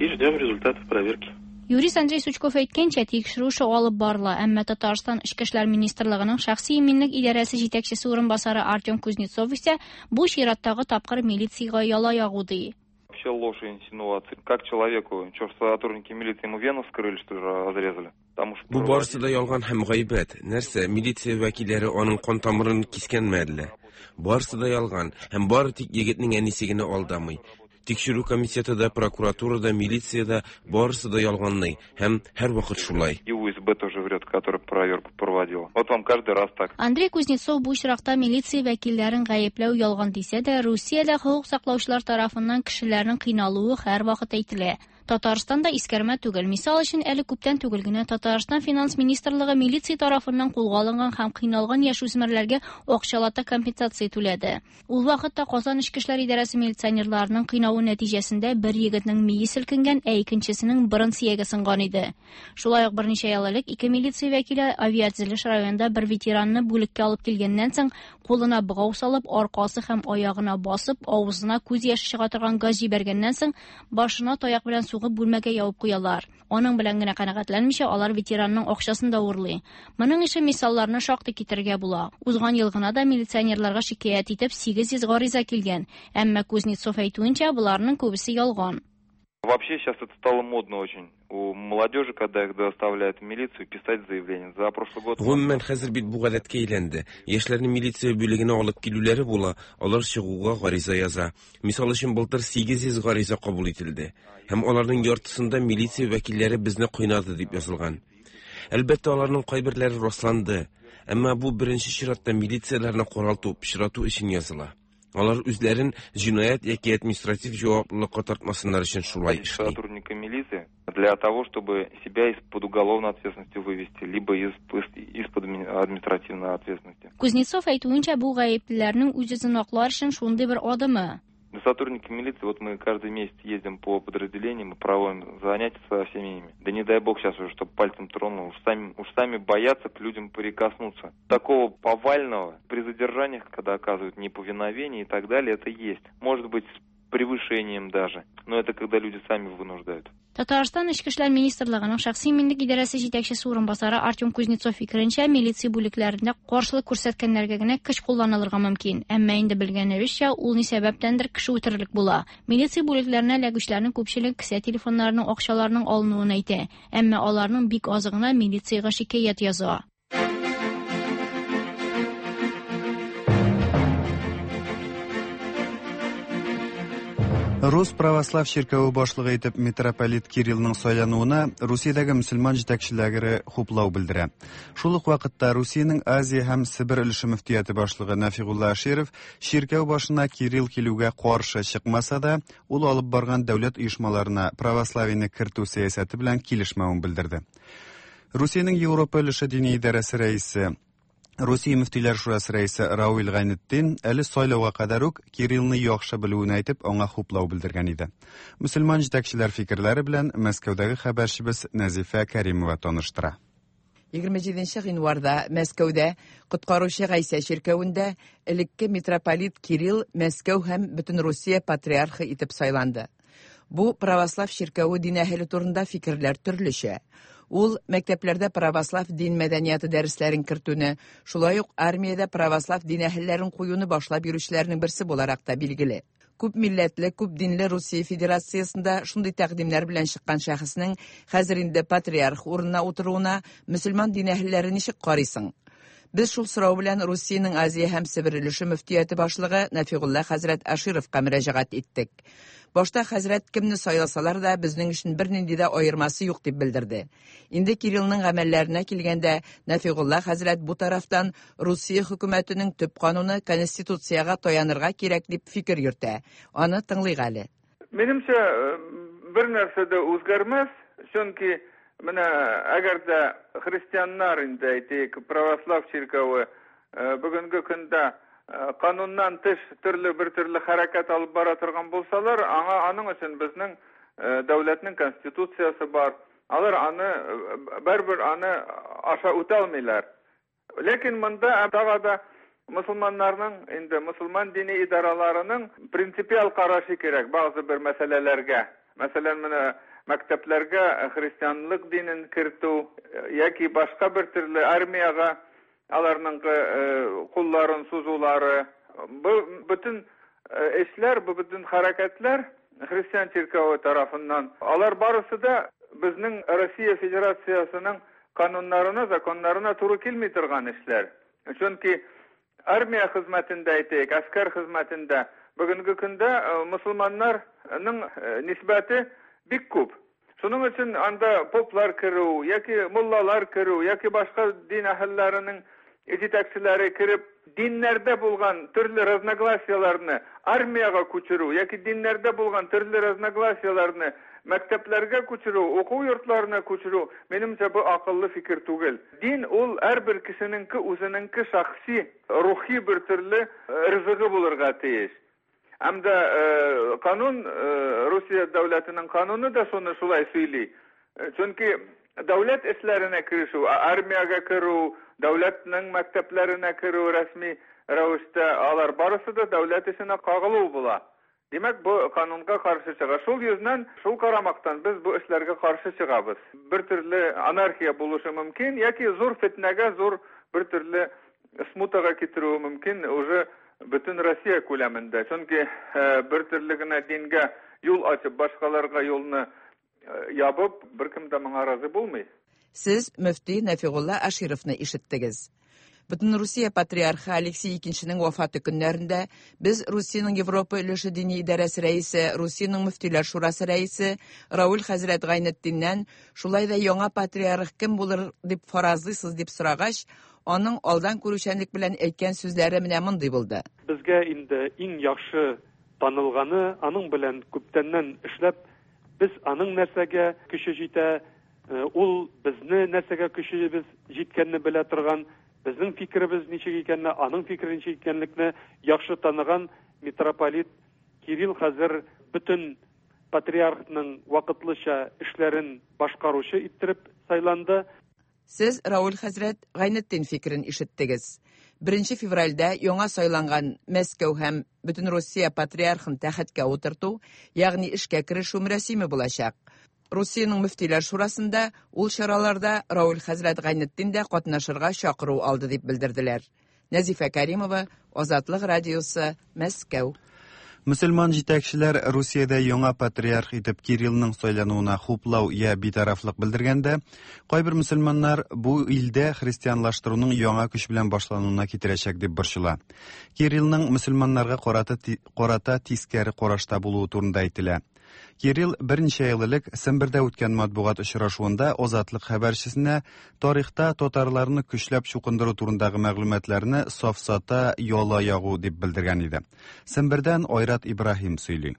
И ждем результатов проверки. Юрист Андрей Сучков әйткәнчә, тикшерү эше алып барыла, әмма Татарстан Эчке эшләр министрлыгының шәхси иминлек идарәсе җитәкчесе урынбасары Артем Кузнецов исә бу чираттагы тапкыр милициягә яла ягу ди. Вообще ложь и инсинуации. Как человеку, что сотрудники милиции ему вену вскрыли, что ли, разрезали? Потому что Бу барысы да ялган һәм гайбәт. Нәрсә, милиция вәкилләре аның кан тамырын кискәнме әллә? Барысы да ялган һәм бары тик егетнең әнисе генә алдамый. Тикшерү комитеты да, прокуратура да, милиция дә барысы да ялганлый һәм һәрвакыт шулай. И УСБ тоже врет, который проверку проводила. Вот вам каждый раз так. Андрей Кузнецов бу очракта милиция вәкилләрен гаепләү ялган дисә дә, Русиядә хокук саклаучылар тарафыннан кешеләрнең кыйналуы һәрвакыт әйтелә. Татарстан да искәрмә түгел. Мисал өчен, әле күптән түгел генә Татарстан финанс министрлыгы милиция тарафыннан кулга алынган һәм кыйналган яшүсмерләргә акчалата компенсация түләде. Ул вакытта Казан эчке эшләр идарәсе милиционерларының кыйнавы нәтиҗәсендә бер егетнең мие селкенгән, ә икенчесенең борын сөяге сынган иде. Шулай ук берничә ел элек ике милиция вәкиле авиатөзелеш районында бер ветеранны бүлеккә алып килгәннән соң кулына богау салып, аркасы һәм аягына басып, авызына күз яше чыга торган газ җибәргәннән соң башына таяк белән сугып бүлмәгә ябып куялар. Аның белән генә канәгатьләнмичә, алар ветеранның акчасын да урлый. Моның ише мисалларны шактый китерергә була. Узган ел гына да милиционерларга шикаять итеп 800 гариза килгән. Әмма Кузнецов әйтүенчә, боларның күбесе ялган. Вообще сейчас это стало модно очень. У молодежи, когда их доставляют в милицию, писать заявление. За прошлый год... Гомумән, хәзер бит бу гадәткә әйләнде. Яшьләрне милиция бүлегенә алып килүләре була, алар чыгуга гариза яза. Мисал өчен, былтыр 800 гариза кабул ителде. Һәм аларның яртысында милиция вәкилләре безне кыйнады дип язылган. Әлбәттә, аларның кайберләре расланды. Әмма бу беренче чиратта милицияләрне каралту, пычрату өчен языла. Алар үзләрен җинаять яки административ җаваплылыкка тартмасыннар өчен шулай эшли. Сотрудника милиции для того, чтобы себя из-под уголовной ответственности вывести, либо из-под административной ответственности. Кузнецов әйтүенчә, бу гаеплеләрнең үз-үзен аклар өчен шундый бер адымы. Сотрудники милиции, вот мы каждый месяц ездим по подразделениям и проводим занятия со всеми ими. Да не дай бог сейчас уже, чтобы пальцем тронул, уж сами боятся к людям прикоснуться. Такого повального при задержаниях, когда оказывают неповиновение и так далее, это есть. Может быть, с превышением даже, но это когда люди сами вынуждают. Татарстан Эчке эшләр министрлыгының шәхси иминлек идарәсе җитәкчесе урынбасары Артем Кузнецов фикеренчә, милиция бүлекләрендә каршылык күрсәткәннәргә генә көч кулланылырга мөмкин. Әмма инде белгәнебезчә, ул ни сәбәптәндер кеше үтерерлек була. Милиция бүлекләренә эләгүчеләрнең күпчелеге кесә телефоннарының, акчаларының алынуын әйтә. Әмма аларның бик азы гына милициягә шикаять яза. Рус православ чиркәве башлыгы итеп митрополит Кириллның сайлануына Русиядәге мөселман җитәкчеләре хуплау белдерә. Шул ук вакытта Русиянең Азия һәм Себер өлеше мөфтияте башлыгы Нафигулла Аширов чиркәү башына Кирилл килүгә каршы чыкмаса да, ул алып барган дәүләт оешмаларына православиене кертү сәясәте белән килешмәвен белдерде. Русиянең Европа өлеше дини идарәсе рәисе Русия мөфтиләр шурасы рәисе Рауил Гайнетдин әле сайлауга кадәр үк Кириллны яхшы белүен әйтеп, аңа хуплау белдергән иде. Мөселман җитәкчеләр фикерләре белән Мәскәүдәге хәбәрчебез Нәзифә Кәримова таныштыра. 27 гыйнварда Мәскәүдә Коткаручы Гайсә чиркәвендә элекке митрополит Кирилл Мәскәү һәм бөтен Русия патриархы итеп сайланды. Бу православ чиркәве дин әһеле турында фикерләр төрлечә. Ул мәктәпләрдә православ дин мәдәнияте дәресләрен кертүне, шулай ук армиядә православ дин әһелләрен куюны башлап йөрүчеләрнең берсе буларак та билгеле. Күп милләтле, күп динле Русия Федерациясендә шундый тәкъдимнәр белән чыккан шәхеснең хәзер инде патриарх урынына утыруына мөселман дин әһелләре ничек карыйсың? Без шул сорау белән Русиянең Азия һәм Себер өлеше мөфтияте башлыгы Нафигулла хәзрәт Ашировка мөрәҗәгать иттек. Башта хәзрәт кемне сайласалар да безнең өчен бернинди дә аермасы юк дип белдерде. Инде Кириллның гамәлләренә килгәндә, Нафигулла хәзрәт бу тарафтан Русия хөкүмәтенең төп кануны Конституциягә таянырга кирәк дип фикер йөртә. Аны тыңлыйк әле. Минемчә, бер нәрсә дә үзгәрмәс, чөнки менә әгәр дә христианнар инде әйтик, православ чиркәве бүгенге көндә кануннан тыш төрле бер төрле хәрәкәт алып бара торган булсалар, аңа аның өчен безнең дәүләтнең конституциясе бар. Алар аны барыбер аны аша үтә алмыйлар. Ләкин монда тагы да мусульманнарның инде мусульман дини идараларының принципиаль карашы кирәк бәгъзе бер мәсьәләләргә. Мәсәлән, менә мәктәпләргә христианлык динен кертү яки башка бер төрле армиягә аларның кулларын сузулары. Бу бөтен эшләр, бу бөтен хәрәкәтләр христиан чиркәве тарафыннан. Алар барысы да безнең Россия Федерациясенең кануннарына, законнарына туры килми торган эшләр. Чөнки армия хезмәтендә, әйтәйек, әскәр хезмәтендә бүгенге көндә мусульманнарның нисбәте бик күп. Шуның өчен анда поплар керү яки муллалар керү яки башка дин әһелләренең җитәкчеләре кереп, диннәрдә булган төрле разногласияләрне армиягә күчерү яки диннәрдә булган төрле разногласияләрне мәктәпләргә күчерү, уку йортларына күчерү, минемчә, бу акыллы фикер түгел. Дин ул һәрбер кешенеңке үзенеңке шәхси, рухи бер төрле ризыгы булырга тиеш. Һәм дә канун, Русия дәүләтенең кануны да шуны шулай сөйли. Чөнки дәүләт эшләренә керешү, армиягә керү, дәүләтнең мәктәпләренә керү рәсми рәвештә, алар барысы да дәүләт эшенә кагылу була. Димәк, бу канунга каршы чыга. Шул йөзнән, шул карамактан без бу эшләргә каршы чыгабыз. Бер төрле анархия булышы мөмкин яки зур фетнәгә, зур бер төрле смутага китерүе мөмкин уже бөтен Россия күләмендә. Чөнки бер төрле генә дингә юл ачып, башкаларга юлны ябып, беркем дә моңа разый булмый. Сез мөфти Нәфигулла Ашировны ишеттегез. Бөтенрусия патриархы Алексей Икенченең вафаты көннәрендә без Русиянең Европа өлеше дини идарәсе рәисе, Русиянең мөфтиләр шурасы рәисе Рауль хәзрәт Гайнетдиннән шулай да яңа патриарх кем булыр дип фаразлыйсыз дип сорагач, аның алдан күрүчәнлек белән әйткән сүзләре менә мондый булды. Безгә инде иң яхшы танылганы, аның белән күптәннән эшләп, без аның нәрсәгә көче җитә, ул безне нәрсәгә көчебез җиткәнне белә торган, безнең фикеребез ничек икәнне, аның фикере ничек икәнлекне яхшы таныган митрополит Кирилл хәзер бөтен патриархның вакытлыча эшләрен башкаручы иттереп сайланды. Сез Рауль хәзрәт Гайнетдин фикерен ишеттегез. 1 февральдә яңа сайланган Мәскәү һәм Бөтенрусия патриархын тәхеткә утырту, ягъни эшкә керешү мөрәсиме булачак. Русиянең мөфтиләр шурасында ул чараларда Рауль хәзрәт Гайнетдин дә катнашырга чакыру алды дип белдерделәр. Нәзифә Каримова, Азатлык радиосы, Мәскәү. Мөселман җитәкчеләр Русиядә яңа патриарх итеп Кириллның сайлануына хуплау я битарафлык белдергәндә, кайбер мөселманнар бу илдә христианлаштыруның яңа көч белән башлануына китерәчәк дип борчыла. Кириллның мөселманнарга карата, карата тискәре карашта булуы турында әйтелә. Кирилл берничә ел элек Сембердә үткән матбугат очрашуында Азатлык хәбәрчесенә тарихта татарларны көчләп чукындыру турындагы мәгълүматларны сафсата, яла ягу дип белдергән иде. Сембердән Айрат Ибраһим сөйли.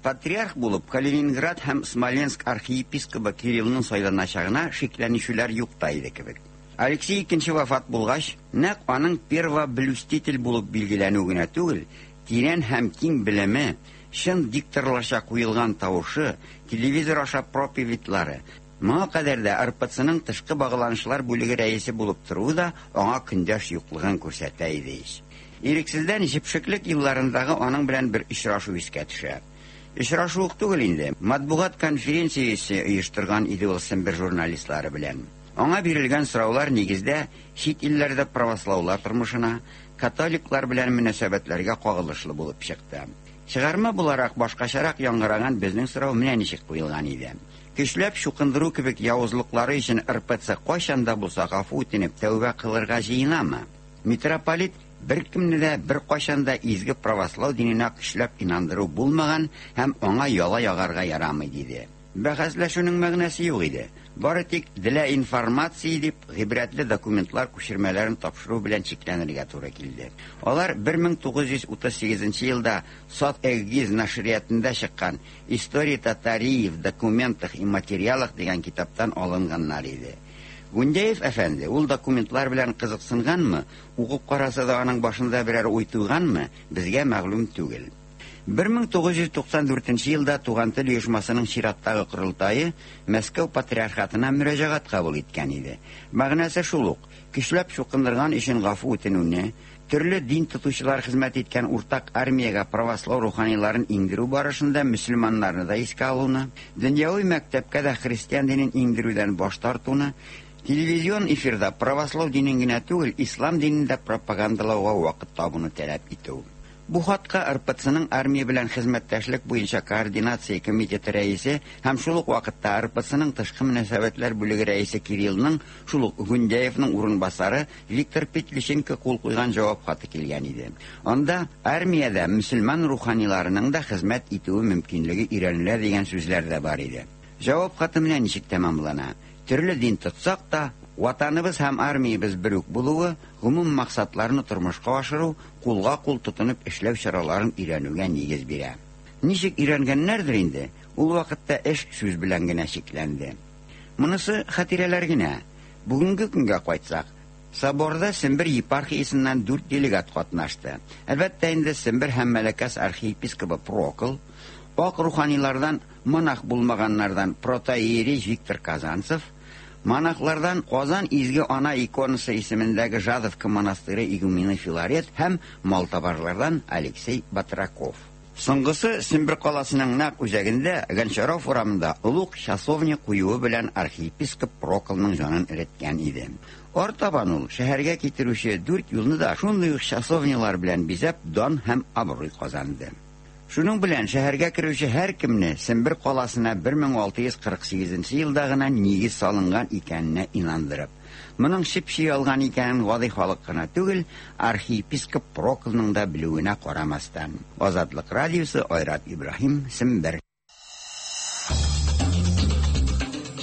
Патриарх булып Калининград һәм Смоленск архиепискобы Кириллның сайланачагына шикләнешүләр юк та иде кебек. Алексей II вафат булгач, нәкъ аның первоблюститель булып билгеләнү генә түгел, тирән һәм киң белеме, чын дикторларча куелган тавышы, телевизор аша проповедьлары, моңа кадәр дә РПЦның тышкы багланышлар бүлеге рәисе булып торуы да аңа көндәш юклыгын күрсәтә иде ич. Ирексездән җепшеклек елларындагы аның белән бер очрашу искә төшә. Очрашу ук түгел инде, матбугат конференциясе оештырган иде ул Сембер журналистлары белән. Аңа бирелгән сораулар нигездә чит илләрдә правослаулар тормышына, католиклар белән мөнәсәбәтләргә кагылышлы булып чыкты. Чыгарма буларак башкачарак яңгыраган безнең сорау менә ничек куелган иде. Көчләп чукындыру кебек явызлыклары өчен РПЦ кайчан да булса гафу үтенеп тәүбә кылырга җыенамы? Митрополит беркемне дә беркайчан да изге правослау диненә көчләп инандыру булмаган һәм аңа яла ягарга ярамый диде. Бәхәсләшүнең мәгънәсе юк иде. Бары тик для информации дип гыйбрәтле документлар күчермәләрен тапшыру белән чикләнергә туры килде. Алар 1938 елда Сат Эгиз нәшриятында чыккан История Татарии в документах и материалах дигән китаптан алынганнар иде. Гундяев әфәнде ул документлар белән кызыксынганмы, укып караса да аның башында берәр уй туганмы, безгә мәгълүм түгел. 1994 елда Туган тел оешмасының чираттагы корылтае Мәскәү патриархатына мөрәҗәгать кабул иткән иде. Мәгънәсе шул ук: көчләп чукындырган өчен гафу үтенүне, Төрле дин тотучылар хезмәт иткән уртак армиягә правослау руханиларын иңдерү барышында мөселманнарны да искә алуны, дөньяви мәктәпкә дә христиан динен иңдерүдән баш тартуны, телевизион эфирда правослау динен генә түгел, ислам динен дә пропагандалауга вакыт табуны таләп итү. Бу хатка РПЦның армия белән хезмәттәшлек буенча координация комитеты рәисе һәм шул ук вакытта РПЦның тышкы мөнәсәбәтләр бүлеге рәисе Кириллның шул ук Гундяевның урынбасары Виктор Петличенко кул куйган җавап хаты килгән иде. Анда армиядә мөселман руханиларының да хезмәт итүе мөмкинлеге өйрәнелә дигән сүзләр дә бар иде. Җавап хаты менә ничек тәмамлана. Төрле дин тотсак та, Ватаныбыз һәм армиябез бер үк булуы, гомум максатларны тормышка ашыру, кулга-кул тотынып эшләү чараларын өйрәнүгә нигез бирә. Ничек өйрәнгәннәрдер инде, ул вакытта эш сүз белән генә чикләнде. Монысы хатирәләр генә. Бүгенге көнгә кайтсак, Соборда Сембер епархиясеннән дүрт делегат катнашты. Әлбәттә инде, Сембер һәм Мәләкәс архиепискобы Прокл, ак руханилардан монах булмаганнардан протоиерей Виктор Казанцев, монахлардан Казан Изге Ана иконасы исемендәге Жадовка монастыре игумены Филарет һәм малтабарлардан Алексей Батраков. Соңгысы Сембер каласының нәкъ үзәгендә, Гончаров урамында олуг часовня куюы белән архиепископ Проклның җанын эреткән иде. Артабан ул шәһәргә китерүче дүрт юлны да шундый ук часовнялар белән бизәп дан һәм абруй казанды. Шуның белән шәһәргә керүче һәркемне Сембер каласына 1648 нче елда гына нигез салынган икәненә инандырып. Моның чеп-чи ялган икәнен гади халык кына түгел, архиепископ Проклның да белүенә карамастан. Азатлык радиосы, Айрат Ибраһим, Сембер.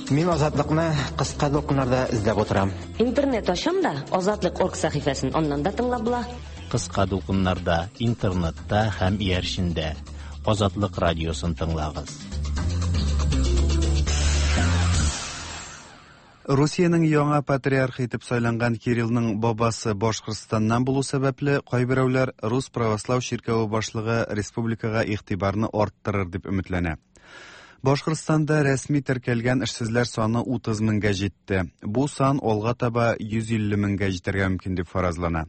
Мин Азатлыкны кыска дулкыннарда эзләп утырам. Интернет ачам да, Азатлык орг сәхифәсен аннан да тыңлап була. Кыска дулкыннарда, интернетта һәм иярчендә. Азатлык радиосын тыңлагыз. Русиянең яңа патриархы итеп сайланган Кириллның бабасы Башкортстаннан булу сәбәпле, кайберәүләр Рус правослау чиркәве башлыгы республикага игътибарны арттырыр дип өметләнә. Башкортстанда рәсми теркәлгән эшсезләр саны 30 меңгә җитте. Бу сан алга таба 150 меңгә җитәргә мөмкин дип фаразлана.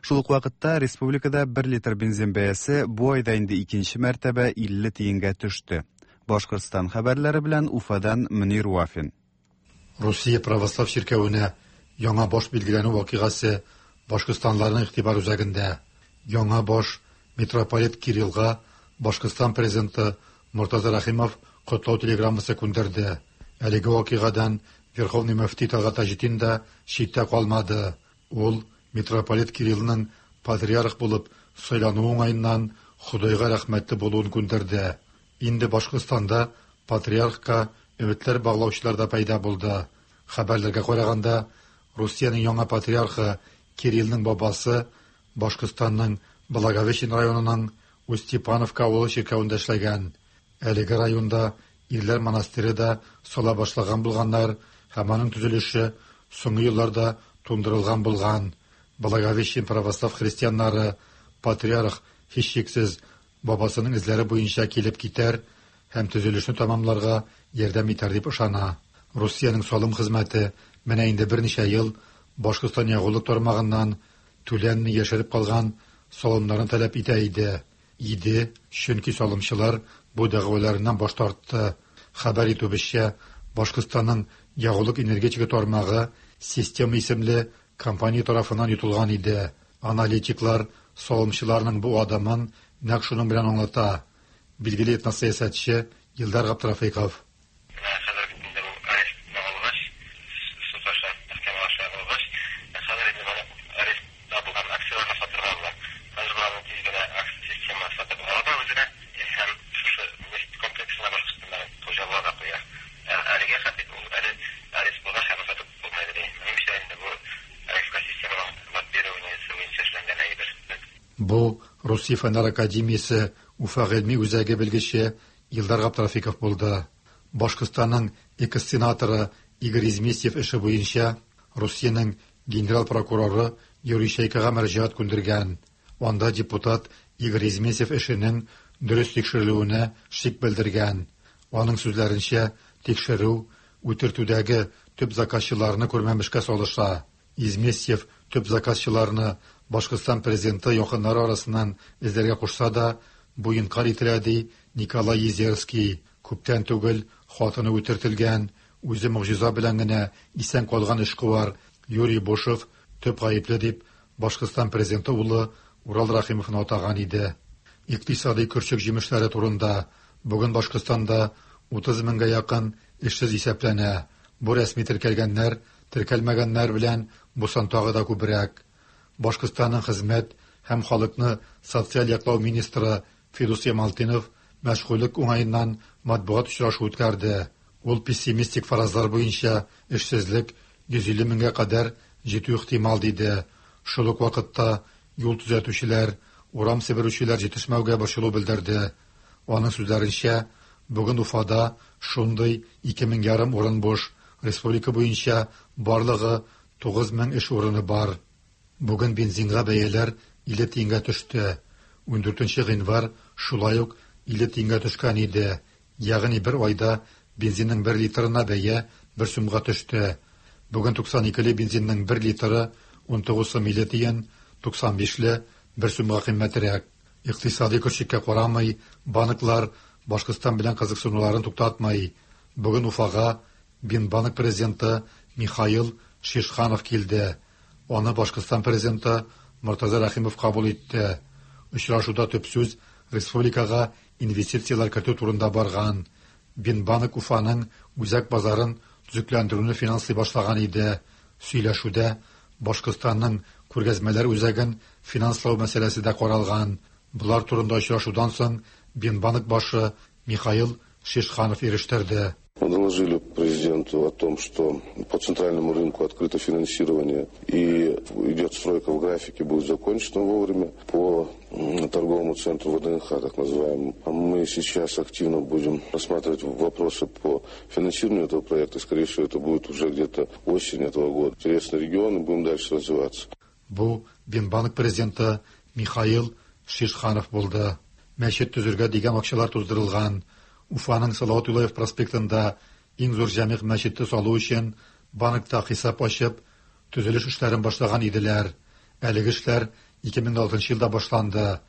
Шул ук вакытта республикада 1 литр бензин бәясе бу айда инде икенче мәртәбә 50 тиенгә төште. Башкортстан хәбәрләре белән Уфадан Мөнир Вафин. Русия православ чиркәвенә яңа баш билгеләнү вакыйгасы башкортстанларның игътибар үзәгендә. Яңа баш митрополит Кириллга Башкортстан президенты Мортаза Рәхимов котлау телеграммасы күндерде. Әлеге вакыйгадан Верховный мөфти Тәлгать Таҗетдин да читтә калмады. Ул митрополит Кириллның патриарх булып сайлануы уңаеннан Ходайга рәхмәтле булуын күндерде. Инде Башкортстанда патриархка өметләр баглаучылар да пәйда булды. Хәбәрләргә караганда, Русиянең яңа патриархы Кириллның бабасы Башкортстанның Благовещен районының Устьепановка авылы чиркәвендә эшләгән. Әлеге районда ирләр монастыре да сала башлаган булганнар һәм аның төзелеше соңгы елларда туңдырылган булган. Благовещен православ христианнары патриарх, һичшиксез, бабасының эзләре буенча килеп китәр һәм төзелешне тәмамларга ярдәм итәр дип ышана. Русиянең салым хезмәте менә инде берничә ел Башкортстан ягулык тармагыннан түләнми яшереп калган салымнарны таләп итә иде. Иде, чөнки салымчылар бу дәгъваларыннан баш тартты. Хәбәр итүебезчә, Башкортстанның ягулык-энергетика тармагы Система исемле компания тарафыннан йотылган иде. Аналитиклар салымчыларның бу адымын нәкъ шуның белән аңлата, билгеле этносәясәтче Илдар Габдрафыйков. Менә хәзер бит инде бу арестны алгач, суд аша, мәхкәмә аша алгач, хәзер инде моны арестта булган акцияләрне сатырга була. Хәзер боларны тиз генә система сатып ала да үзенә һәм шушы нефть комплексына Башкортстандагы хуҗа була да куя. Ә әлегә хәтле ул әле арест булгач аны сатып булмый ди. Минемчә инде бу арестка системаның лоббированиесе буенча эшләнгән әйбер. Бу Русия Фәннәр академиясе Уфа гыйльми үзәге белгече Илдар Габдрафиков булды. Башкортстанның экс-сенаторы Игорь Изместьев эше буенча Русиянең генераль прокуроры Юрий Чайкага мөрәҗәгать күндергән. Анда депутат Игорь Изместьев эшенең дөрес тикшерелүенә шик белдергән. Аның сүзләренчә, тикшерү үтертүдәге төп заказчыларны күрмәмешкә салыша. Изместьев төп заказчыларны Башкортстан президенты якыннары арасыннан эзләргә кушса да, бу инкарь ителә, ди Николай Езерский. Күптән түгел хатыны үтертелгән, үзе могҗиза белән генә исән калган эшкуар Юрий Бушев төп гаепле дип Башкортстан президенты улы Урал Рәхимовны атаган иде. Икътисади көрчек җимешләре турында бүген Башкортстанда 30 меңгә якын эшсез исәпләнә. Бу рәсми теркәлгәннәр, теркәлмәгәннәр белән бу сан тагы да күбрәк. Башкортстанның хезмәт һәм халыкны социаль яклау министры Фидус Ямалтдинов мәшгульлек уңаеннан матбугат очрашу үткәрде. Ул пессимистик фаразлар буенча эшсезлек 150 меңгә кадәр җитү ихтимал диде. Шул ук вакытта юл төзәтүчеләр, урам себерүчеләр җитешмәүгә борчылу белдерде. Аның сүзләренчә, бүген Уфада шундый 2500 урын буш, республика буенча барлыгы 9000 эш урыны бар. Бүген бензинга бәяләр 50 тиенгә төште. 14 гыйнвар шулай ук 50 тиенгә төшкән иде. Ягъни бер айда бензинның 1 литрына бәя 1 сумга төште. Бүген 92-ле бензинның 1 литры 19 сум 50 тиен, 95-ле 1 сумга кыйммәтрәк. Икътисади көрчеккә карамый, банклар Башкортстан белән кызыксынуларын туктатмый. Бүген Уфага Бинбанк президенты Михаил Шишханов килде. Аны Башкортстан президенты Мортаза Рәхимов кабул итте. Очрашуда төп сүз республикага инвестицияләр кертү турында барган. Бинбанк Уфаның үзәк базарын төзекләндерүне финанслый башлаган иде. Сөйләшүдә Башкортстанның күргәзмәләр үзәген финанслау мәсьәләсе дә каралган. Болар турында очрашудан соң Бинбанк башы Михаил Шишханов ирештерде. Мы доложили президенту о том, что по центральному рынку открыто финансирование и идет стройка в графике, будет закончена вовремя. По торговому центру ВДНХ, так называемому, мы сейчас активно будем рассматривать вопросы по финансированию этого проекта. Скорее всего, это будет уже где-то осень этого года. Интересный регион, и будем дальше развиваться. Бу Бинбанк президенты Михаил Шишханов булды. Мәчет төзергә дигән акчалар туздырылган. Уфаның Салават Юлаев проспектында иң зур җәмигъ мәчете салу өчен банкта хисап ачып, төзелеш эшләрен башлаган иделәр. Әлеге эшләр 2006 елда башланды.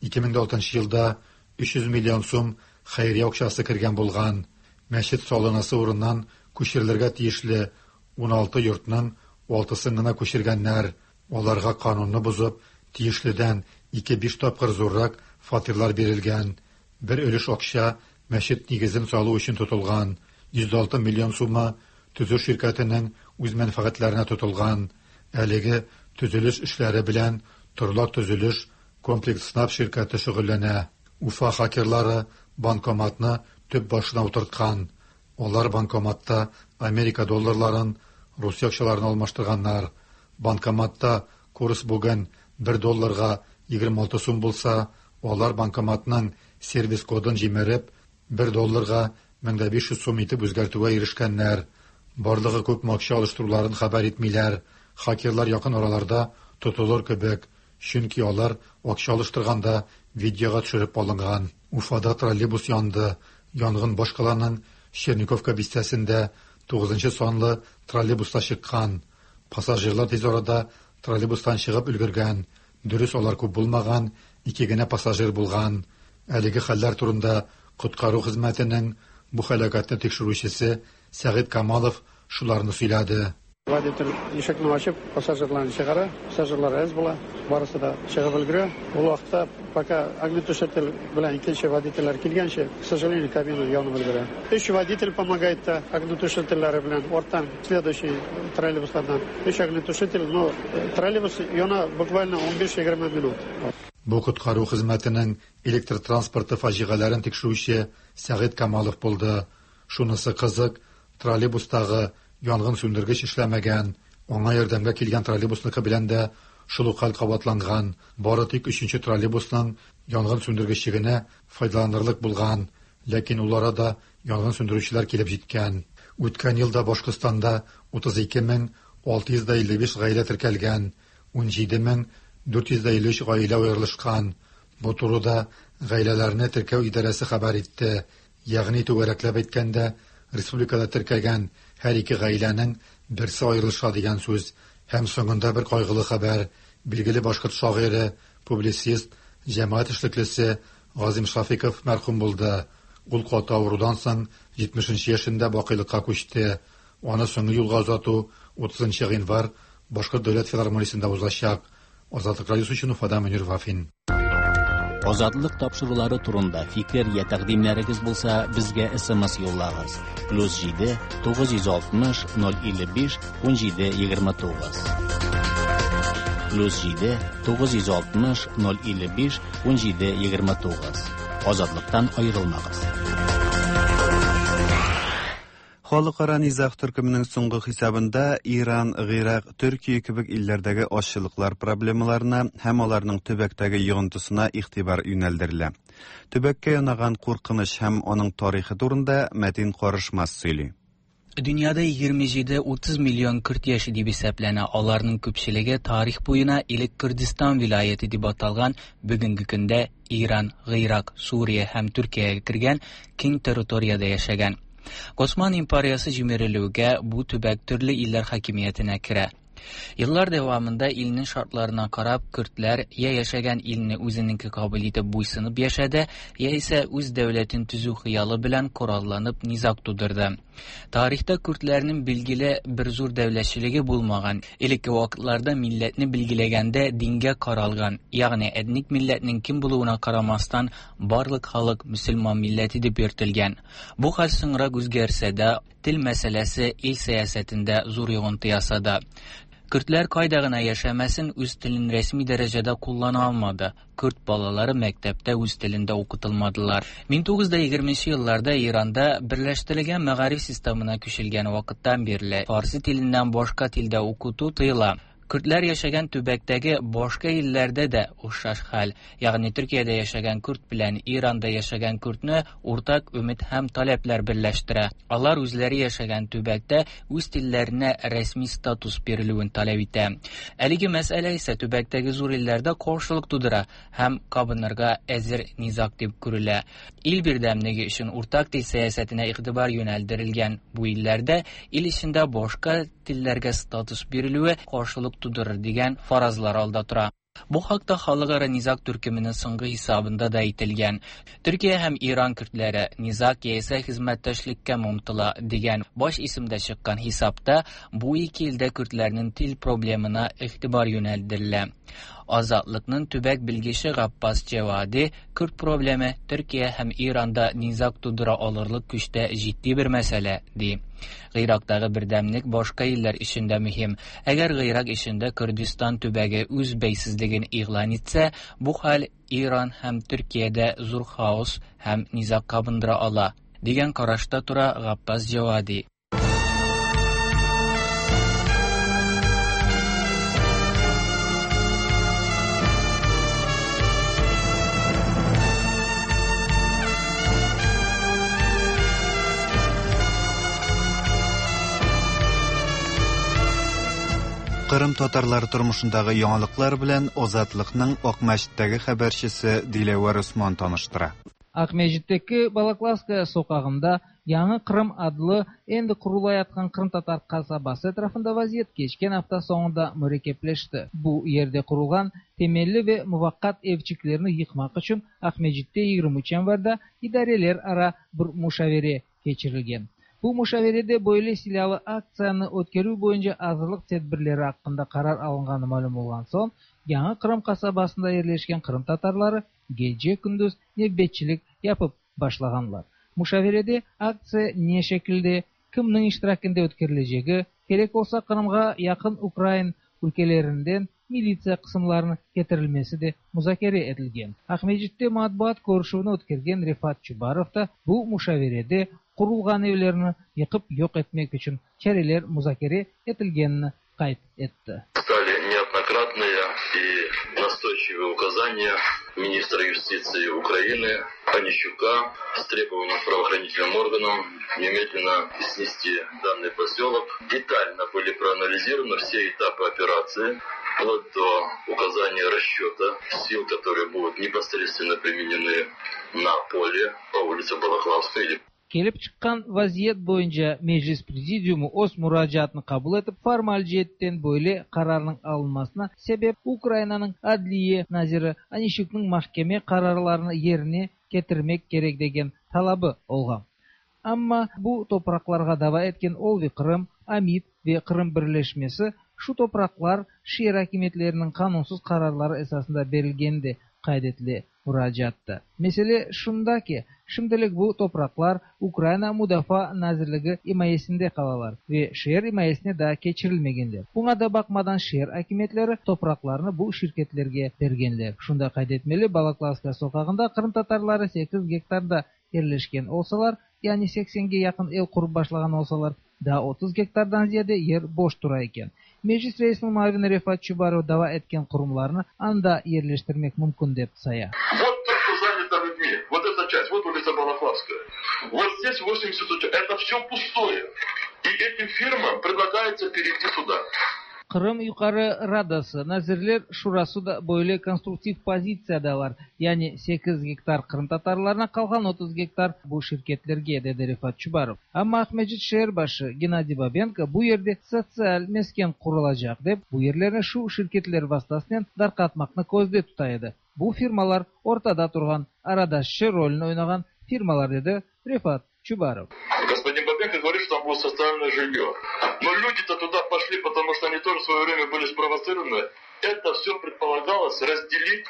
2006 елда 300 миллион сум хәйрия акчасы кергән булган. Мәчет салынасы урыннан күчерелергә тиешле 16 йортның 6-сын гына күчергәннәр. Аларга канунны бозып, тиешледән 2-5 тапкыр зуррак фатирлар бирелгән. Бер өлеш акча мәчет нигезен салу өчен тотылган. 106 миллион сумы төзү ширкәтенең үз мәнфәгатьләренә тотылган. Әлеге төзелеш эшләре белән Торлак төзелеш комплекс СНАП ширкәте шөгыльләнә. Уфа хакерлары банкоматны төп башына утырткан. Алар банкоматта Америка долларларын Русия акчаларына алмаштырганнар. Банкоматта курс бүген 1 долларга 26 сум булса, алар банкоматның сервис кодын җимереп, 1 долларга 1500 сум итеп үзгәртүгә ирешкәннәр. Барлыгы күпме акча алыштыруларын хәбәр итмиләр. Хакерлар якын араларда тотылыр кебек, чөнки алар акча алыштырганда видеога төшереп алынган. Уфада троллейбус янды. Янгын башкаланың Черниковка бистәсендә 9 санлы троллейбуста чыккан. Пассажирлар тиз арада троллейбустан чыгып өлгергән. Дөрес, алар күп булмаган, ике генә пассажир булган. Әлеге хәлләр турында коткару хезмәтенең бу һәлакәтне тикшерүчесе Сәгыйть Камалов шуларны сөйләде. Водитель ишекне ачып, пассажирларны чыгара, пассажирлар әз була, барысы да чыгып өлгерә. Ул вакытта пока огнетушитель белән икенче водительләр килгәнче, к сожалению, кабина янып өлгерә. Өч водитель помогает та огнетушительләре белән арттан следующий троллейбуслардан. Өч огнетушитель, но троллейбус яна буквально 15-20 минут. Бу коткару хезмәтенең электр транспорты фаҗигаләрен тикшерүче Сәгыйть Камалов булды. Шунысы кызык, троллейбустагы янгын сүндергеч эшләмәгән. Аңа ярдәмгә килгән троллейбусныкы белән дә шул ук хәл кабатланган. Бары тик өченче троллейбусның янгын сүндергече генә файдаланырлык булган, ләкин ул арада янгын сүндерүчеләр килеп җиткән. Үткән елда Башкортстанда 32 655 гаилә теркәлгән, 17 453 гаилә аерылышкан. Бу турыда гаиләләрне теркәү идарәсе хәбәр итте. Ягъни түгәрәкләп әйткәндә, республикада теркәлгән һәр ике гаиләнең берсе аерылыша дигән сүз. Һәм соңында бер кайгылы хәбәр. Билгеле башкорт шагыйре, публицист, җәмәгать эшлеклесе Газыйм Шафиков мәрхүм булды. Ул каты авырудан соң 70 нче яшендә бакыйлыкка күчте. Аны соңгы юлга озату 30 нчы гыйнвар Башкорт дәүләт филармониясендә узачак. Азатлык радиосы өчен Уфадан Мөнир Вафин. Азатлык тапшырулары турында фикер я тәкъдимнәрегез булса, безгә смс юллагыз. Плюс 7 960 055 17 29. Плюс 7 960 055 17 29. Азатлыктан аерылмагыз. Халыкара низаг төркеменең соңгы хисабында Иран, Гыйрак, Төркия кебек илләрдәге азчылыклар проблемаларына һәм аларның төбәктәге йогынтысына игътибар юнәлдерелә. Төбәккә янаган куркыныч һәм аның тарихы турында Мәтин Карышмас сөйли. Дөньяда 27-30 миллион көрд яши дип исәпләнә. Аларның күпчелеге тарих буена элек Көрдистан вилаяте дип аталган бүгенге көндә Иран, Гыйрак, Сүрия һәм Төркиягә кергән киң территориядә яшәгән. Госман империясе җимерелүгә бу төбәк төрле илләр хакимиятенә керә. Еллар дәвамында илнең шартларына карап, көрдләр я яшәгән илне үзенеке кабул итеп буйсынып яшәде, яисә үз дәүләтен төзү хыялы белән коралланып низаг тудырды. Тарихта көрдләрнең билгеле бер зур дәүләтчелеге булмаган. Элекке вакытларда милләтне билгеләгәндә дингә каралган, ягъни этник милләтнең кем булуына карамастан, барлык халык мөселман милләте дип йөртелгән. Бу хәл соңрак үзгәрсә дә, тел мәсьәләсе ил сәясәтендә зур йогынты ясады. Көрдләр кайда гына яшәмәсен, үз телен рәсми дәрәҗәдә куллана алмады. Көрд балалары мәктәптә үз телендә укытылмадылар. 1920 елларда Иранда берләштерелгән мәгариф системына күчелгән вакыттан бирле фарсы теленнән башка телдә укыту тыела. Көрдләр яшәгән төбәктәге башка илләрдә дә охшаш хәл. Ягъни Төркиядә яшәгән көрд белән Иранда яшәгән көрдне уртак өмет һәм таләпләр берләштерә. Алар үзләре яшәгән төбәктә үз телләренә рәсми статус бирелүен таләп итә. Әлеге мәсьәлә исә төбәктәге зур илләрдә каршылык тудыра һәм кабынырга әзер низаг дип күрелә. Ил бердәмлеге өчен уртак тел сәясәтенә игътибар юнәлдерелгән бу илләрдә ил эчендә башка телләргә статус бирелүе каршылык тудырыр дигән фаразлар алда тора. Бу хакта халыкара низаг төркеменең соңгы хисабында да әйтелгән. Төркия һәм Иран көрдләре низаг яисә хезмәттәшлеккә омтыла дигән баш исемдә чыккан хисапта бу ике илдә көрдләрнең тел проблемына игътибар юнәлдерелә. Азатлыкның төбәк белгече Габбас Җәвади көрд проблемы Төркия һәм Иранда низаг тудыра алырлык көчтә җитди бер мәсьәлә, ди. Гыйрактагы бердәмлек башка илләр өчен дә мөһим. Әгәр Гыйрак эчендә Көрдистан төбәге үз бәйсезлеген игълан итсә, бу хәл Иран һәм Төркиядә зур хаос һәм низаг кабындыра ала, дигән карашта тора Габбас Җәвади. Кырым татарлары тормышындагы яңалыклар белән Азатлыкның Акмәчеттәге хәбәрчесе Диләвәр Усман таныштыра. Акмесджиттеки Балаклавская soqağında Yañı Qırım adlı endi qurulayatqan qırımtatar qasabası etrafında vaziyet keçken afta soñunda mürekkepleşti. Bu yerde qurulğan temelli ve muvaqqat evçiklerni yıqmaq içün Aqmescitte 23 yanvarda idareler ara bir muşavere keçirilgen. Bu muşaverede böyle silâlı aktsiyanı ötkerüv boyunca azırlıq tedbirleri aqqında qarar alınğanı malüm olğan soñ, Yañı Qırım qasabasında yerleşken qırımtatarları gece-kündüz nevbetçilik yapıp başlağanlar. Muşaverede aktsiya ne şekilde, kimniñ iştirakinde ötkerilecegi, kerek olsa Qırımğa yaqın ukrain ülkelerinden militsiya qısımlarınıñ ketirilmesi de muzakere etilgen. Aqmescitte matbuat körüşüvini ötkergen Refat Çubarov da bu muşaverede qurulğan evlerni yıqıp yoq etmek içün çareler muzakere etilgenini qayd etti. Стали неоднократные и настойчивые указания министра юстиции Украины Онищука с требованием правоохранительным органам немедленно снести данный поселок. Детально были проанализированы все этапы операции, вплоть до указания расчета сил, которые будут непосредственно применены на поле по улице Балаклавской. Kelip çıqqan vaziyet boyunca Meclis Prezidiumı öz muracaatını qabul etip, formal ceetten böyle qararnıñ alınmasına sebep Ukrainanıñ Adliye naziri Onişçuknıñ mahkeme qararlarını yerine ketirmek kerek degen talabı olğan. Amma bu topraqlarğa dava etken Olvi Qırım, Amit ve Qırım birleşmesi şu topraqlar şeer akimiyetleriniñ qanunsız qararları esasında berilgeni de qayd etile muracaatta. Mesele şunda ki, şimdilik bu topraqlar Ukraina Mudafaa nazirligi imayesinde qalalar ve şeer imayesine daa keçirilmegenler. Buña da baqmadan şeer akimiyetleri topraqlarnı bu şirketlerge bergenler. Şunı da qayd etmeli, Balaklavskaya soqağında qırımtatarları sekiz gektarda yerleşken olsalar, yani seksenge yaqın ev qurıp başlağan olsalar, daa 30 gektardan ziyade yer boş tura eken. Meclis reisiniñ muavini Refat Çubarov dava etken qurumlarnı anda yerleştirmek mümkün dep saya. Вот то, что занято людьми, вот эта часть, вот улица Балаклавская, вот здесь 80 это все пустое. И этим фирмам предлагается перейти сюда. Qırım Yuqarı Radası, Nazirler Şurası da böyle konstruktiv pozitsiyadalar, yani sekiz gektar qırımtatarlarına, qalğan 30 gektar bu şirketlerge, dedi Refat Çubarov. Amma Aqmescit şeer başı Gennadiy Babenko bu yerde sotsial mesken qurulacaq dep, bu yerlerni şu şirketler vastasınen darqatmaqnı közde tuta edi. Bu firmalar ortada turğan aradaşçı rolüni oynağan firmalar, dedi Refat Çubarov. Господин Бабенко говорит, что там будет социальное жилье. Но люди-то туда пошли, потому что они тоже в свое время были спровоцированы. Это все предполагалось разделить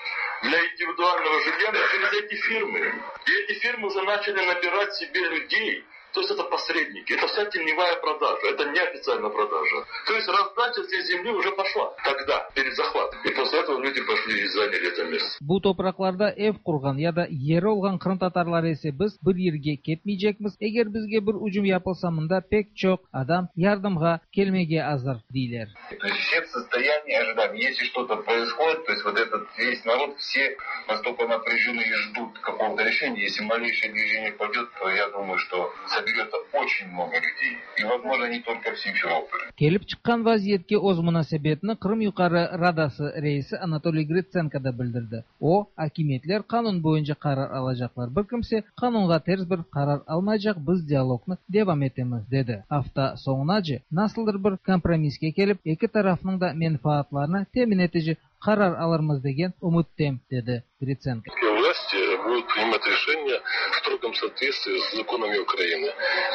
для индивидуального жилья через эти фирмы. И эти фирмы уже начали набирать себе людей. То есть это посредники, это вся теневая продажа, это неофициальная продажа. То есть раздача здесь земли уже пошла тогда, перед захватом. И после этого люди пошли и заняли это место. Bu topraqlarda ev qurğan ya da yeri olğan qırımtatarlar ise biz bir yerge ketmeycekmiz, eger bizge bir ücüm yapılsa mında pek çoq adam yardımğa kelmege azır, deyler. То есть все в состоянии ожидания. Если что-то происходит, то есть вот этот весь народ, все настолько напряжены и ждут какого-то решения. Если малейшее движение пойдет, то я думаю, что соберется очень много людей. И, возможно, не только в Симферополе. Kelip çıqqan vaziyetke öz munasebetini Qırım Yuqarı Radası reisi Anatoliy Gritsenko da bildirdi. O, akimiyetler qanun boyunca qarar alacaqlar, bir kimse qanunğa ters bir qarar almaycaq, biz dialognı devam etemiz, dedi. Afta soñunace nasıldır bir kompromisske kelip, eki tarafnıñ da menfaatlarını temin etici qarar alırmız degen ümüttem, dedi Gritsenko. Власти будут принимать решения в строгом соответствии с законами Украины.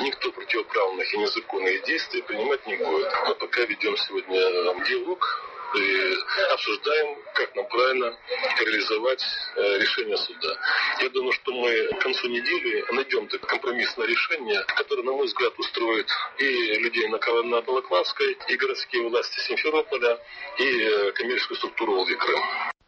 Никто противоправных и незаконных действий принимать не будет. Мы пока ведем сегодня диалог и обсуждаем, как нам правильно реализовать решение суда. Я думаю, что мы к концу недели найдем компромиссное решение, которое, на мой взгляд, устроит и людей на Балаклавской, и городские власти Симферополя, и коммерческую структуру Олви Крым.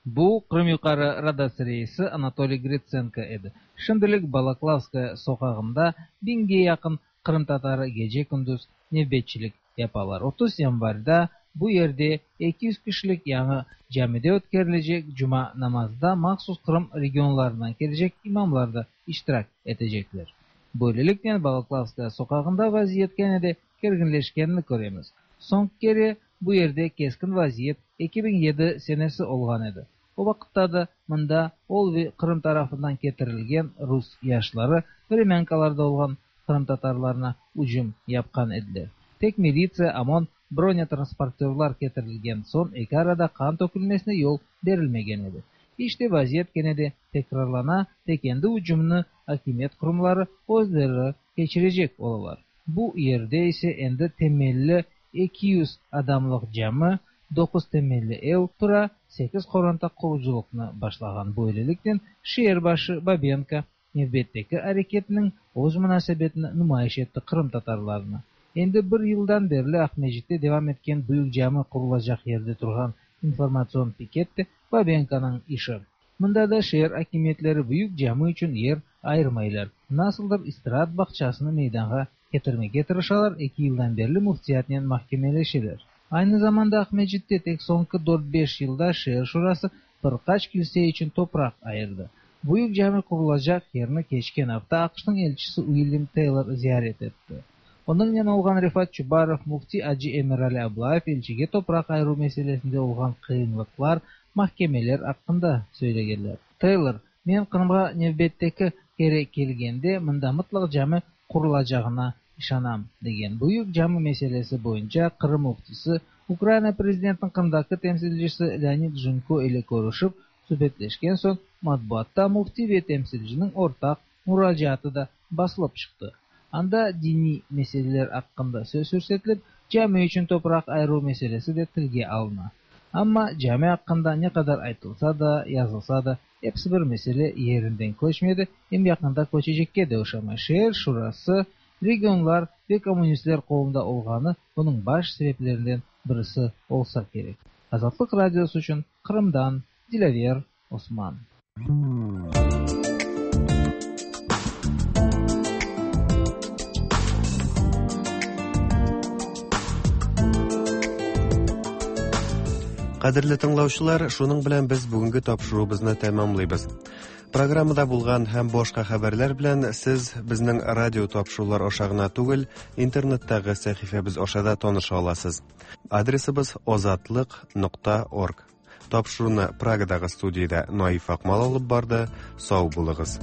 Bu Qırım Yuqarı Radası reisi Anatoliy Gritsenko edi. Şimdilik Balaklavskaya soqağında biñge yaqın qırımtatarı gece-kündüz nevbetçilik yapalar. 30 yanvarda bu yerde 200 kişilik yañı camide ötkerilecek cuma namazında mahsus Qırım regionlarından kelecek imamlar da iştirak etecekler. Böyleliknen Balaklavskaya soqağında vaziyet kene de kerginleşkenini köremiz. Soñki kere bu yerde keskin vaziyet 2007 senesi olğan edi. O vaqıtta da mında Olvi Qırım tarafından ketirilgen rus yaşları vremânkalarda olğan qırımtatarlarına ücüm yapqan ediler. Tek militsiya, OMON, bronetransportörlar ketirilgen soñ eki arada qan tökülmesine yol berilmegen edi. İşte vaziyet kene de tekrarlana, tek endi ücümni akimiyet qurumları özleri keçirecek olalar. Bu yerde ise endi temelli 200 adamlıq cami, doquz temelli ev tura, sekiz qoranta qurucılıqnı başlağan. Böyleliknen şeer başı Babenko nevbetteki areketiniñ öz munasebetini numayış etti qırımtatarlarına. Endi bir yıldan berli Aqmescitte devam etken büyük cami qurulacaq yerde turğan informatsion piket de Babenkonıñ işi. Mında da şeer akimiyetleri büyük cami içün yer ayırmaylar. Nasıldır istiraat bağçasını meydanğa ketirmege tırışalar, eki yıldan berli müftiyatnen mahkemeleşeler. Aynı zamanda Aqmescitte tek soñki dört-beş yılda şeer şurası bir qaç kilse içün topraq ayırdı. Büyük cami qurulacaq yerni keçken afta AQŞnıñ elçisi Uilyam Teylor ziyaret etti. Onıñnen olğan Refat Çubarov, müfti acı Emirali Ablayev elçige topraq ayıruv meselesinde olğan qıyınlıqlar, mahkemeler aqqında söylegenler. Teylor, Men Qırımğa nevbetteki kere kelgende mında mıtlaq cami qurulacağına işanam, degen Büyük cami meselesi boyunca Qırım müftisi Ukraina prezidentiniñ Qırımdaki temsilcisi Leonid Jenko ile körüşip, subetleşken soñ matbuatta müfti ve temsilciniñ ortaq muracaatı da basılıp çıqtı. Anda diniy meseleler aqqında söz yürsetilip, cami içün topraq ayıruv meselesi de tilge alına. Amma cami aqqında ne qadar aytılsa da, yazılsa da, episi bir mesele yerinden köçmedi, em yaqında köçecekke de oşamay. Şeer şurası, regionlar ve kommunistler qolunda olğanı bunıñ baş sebeplerinden birisi olsa kerek. Azatlıq Radiosı içün Qırımdan Dilâver Osman. Кадерле тыңлаучылар, шуның белән без бүгенге тапшыруыбызны тәмамлыйбыз. Программада булган һәм башка хәбәрләр белән сез безнең радио тапшырулар аша гына түгел, интернеттагы сәхифәбез аша да таныша аласыз. Адресыбыз озатлык.орг. Тапшыруны Прагадагы студиядә Наиф Акмал алып барды. Сау булыгыз.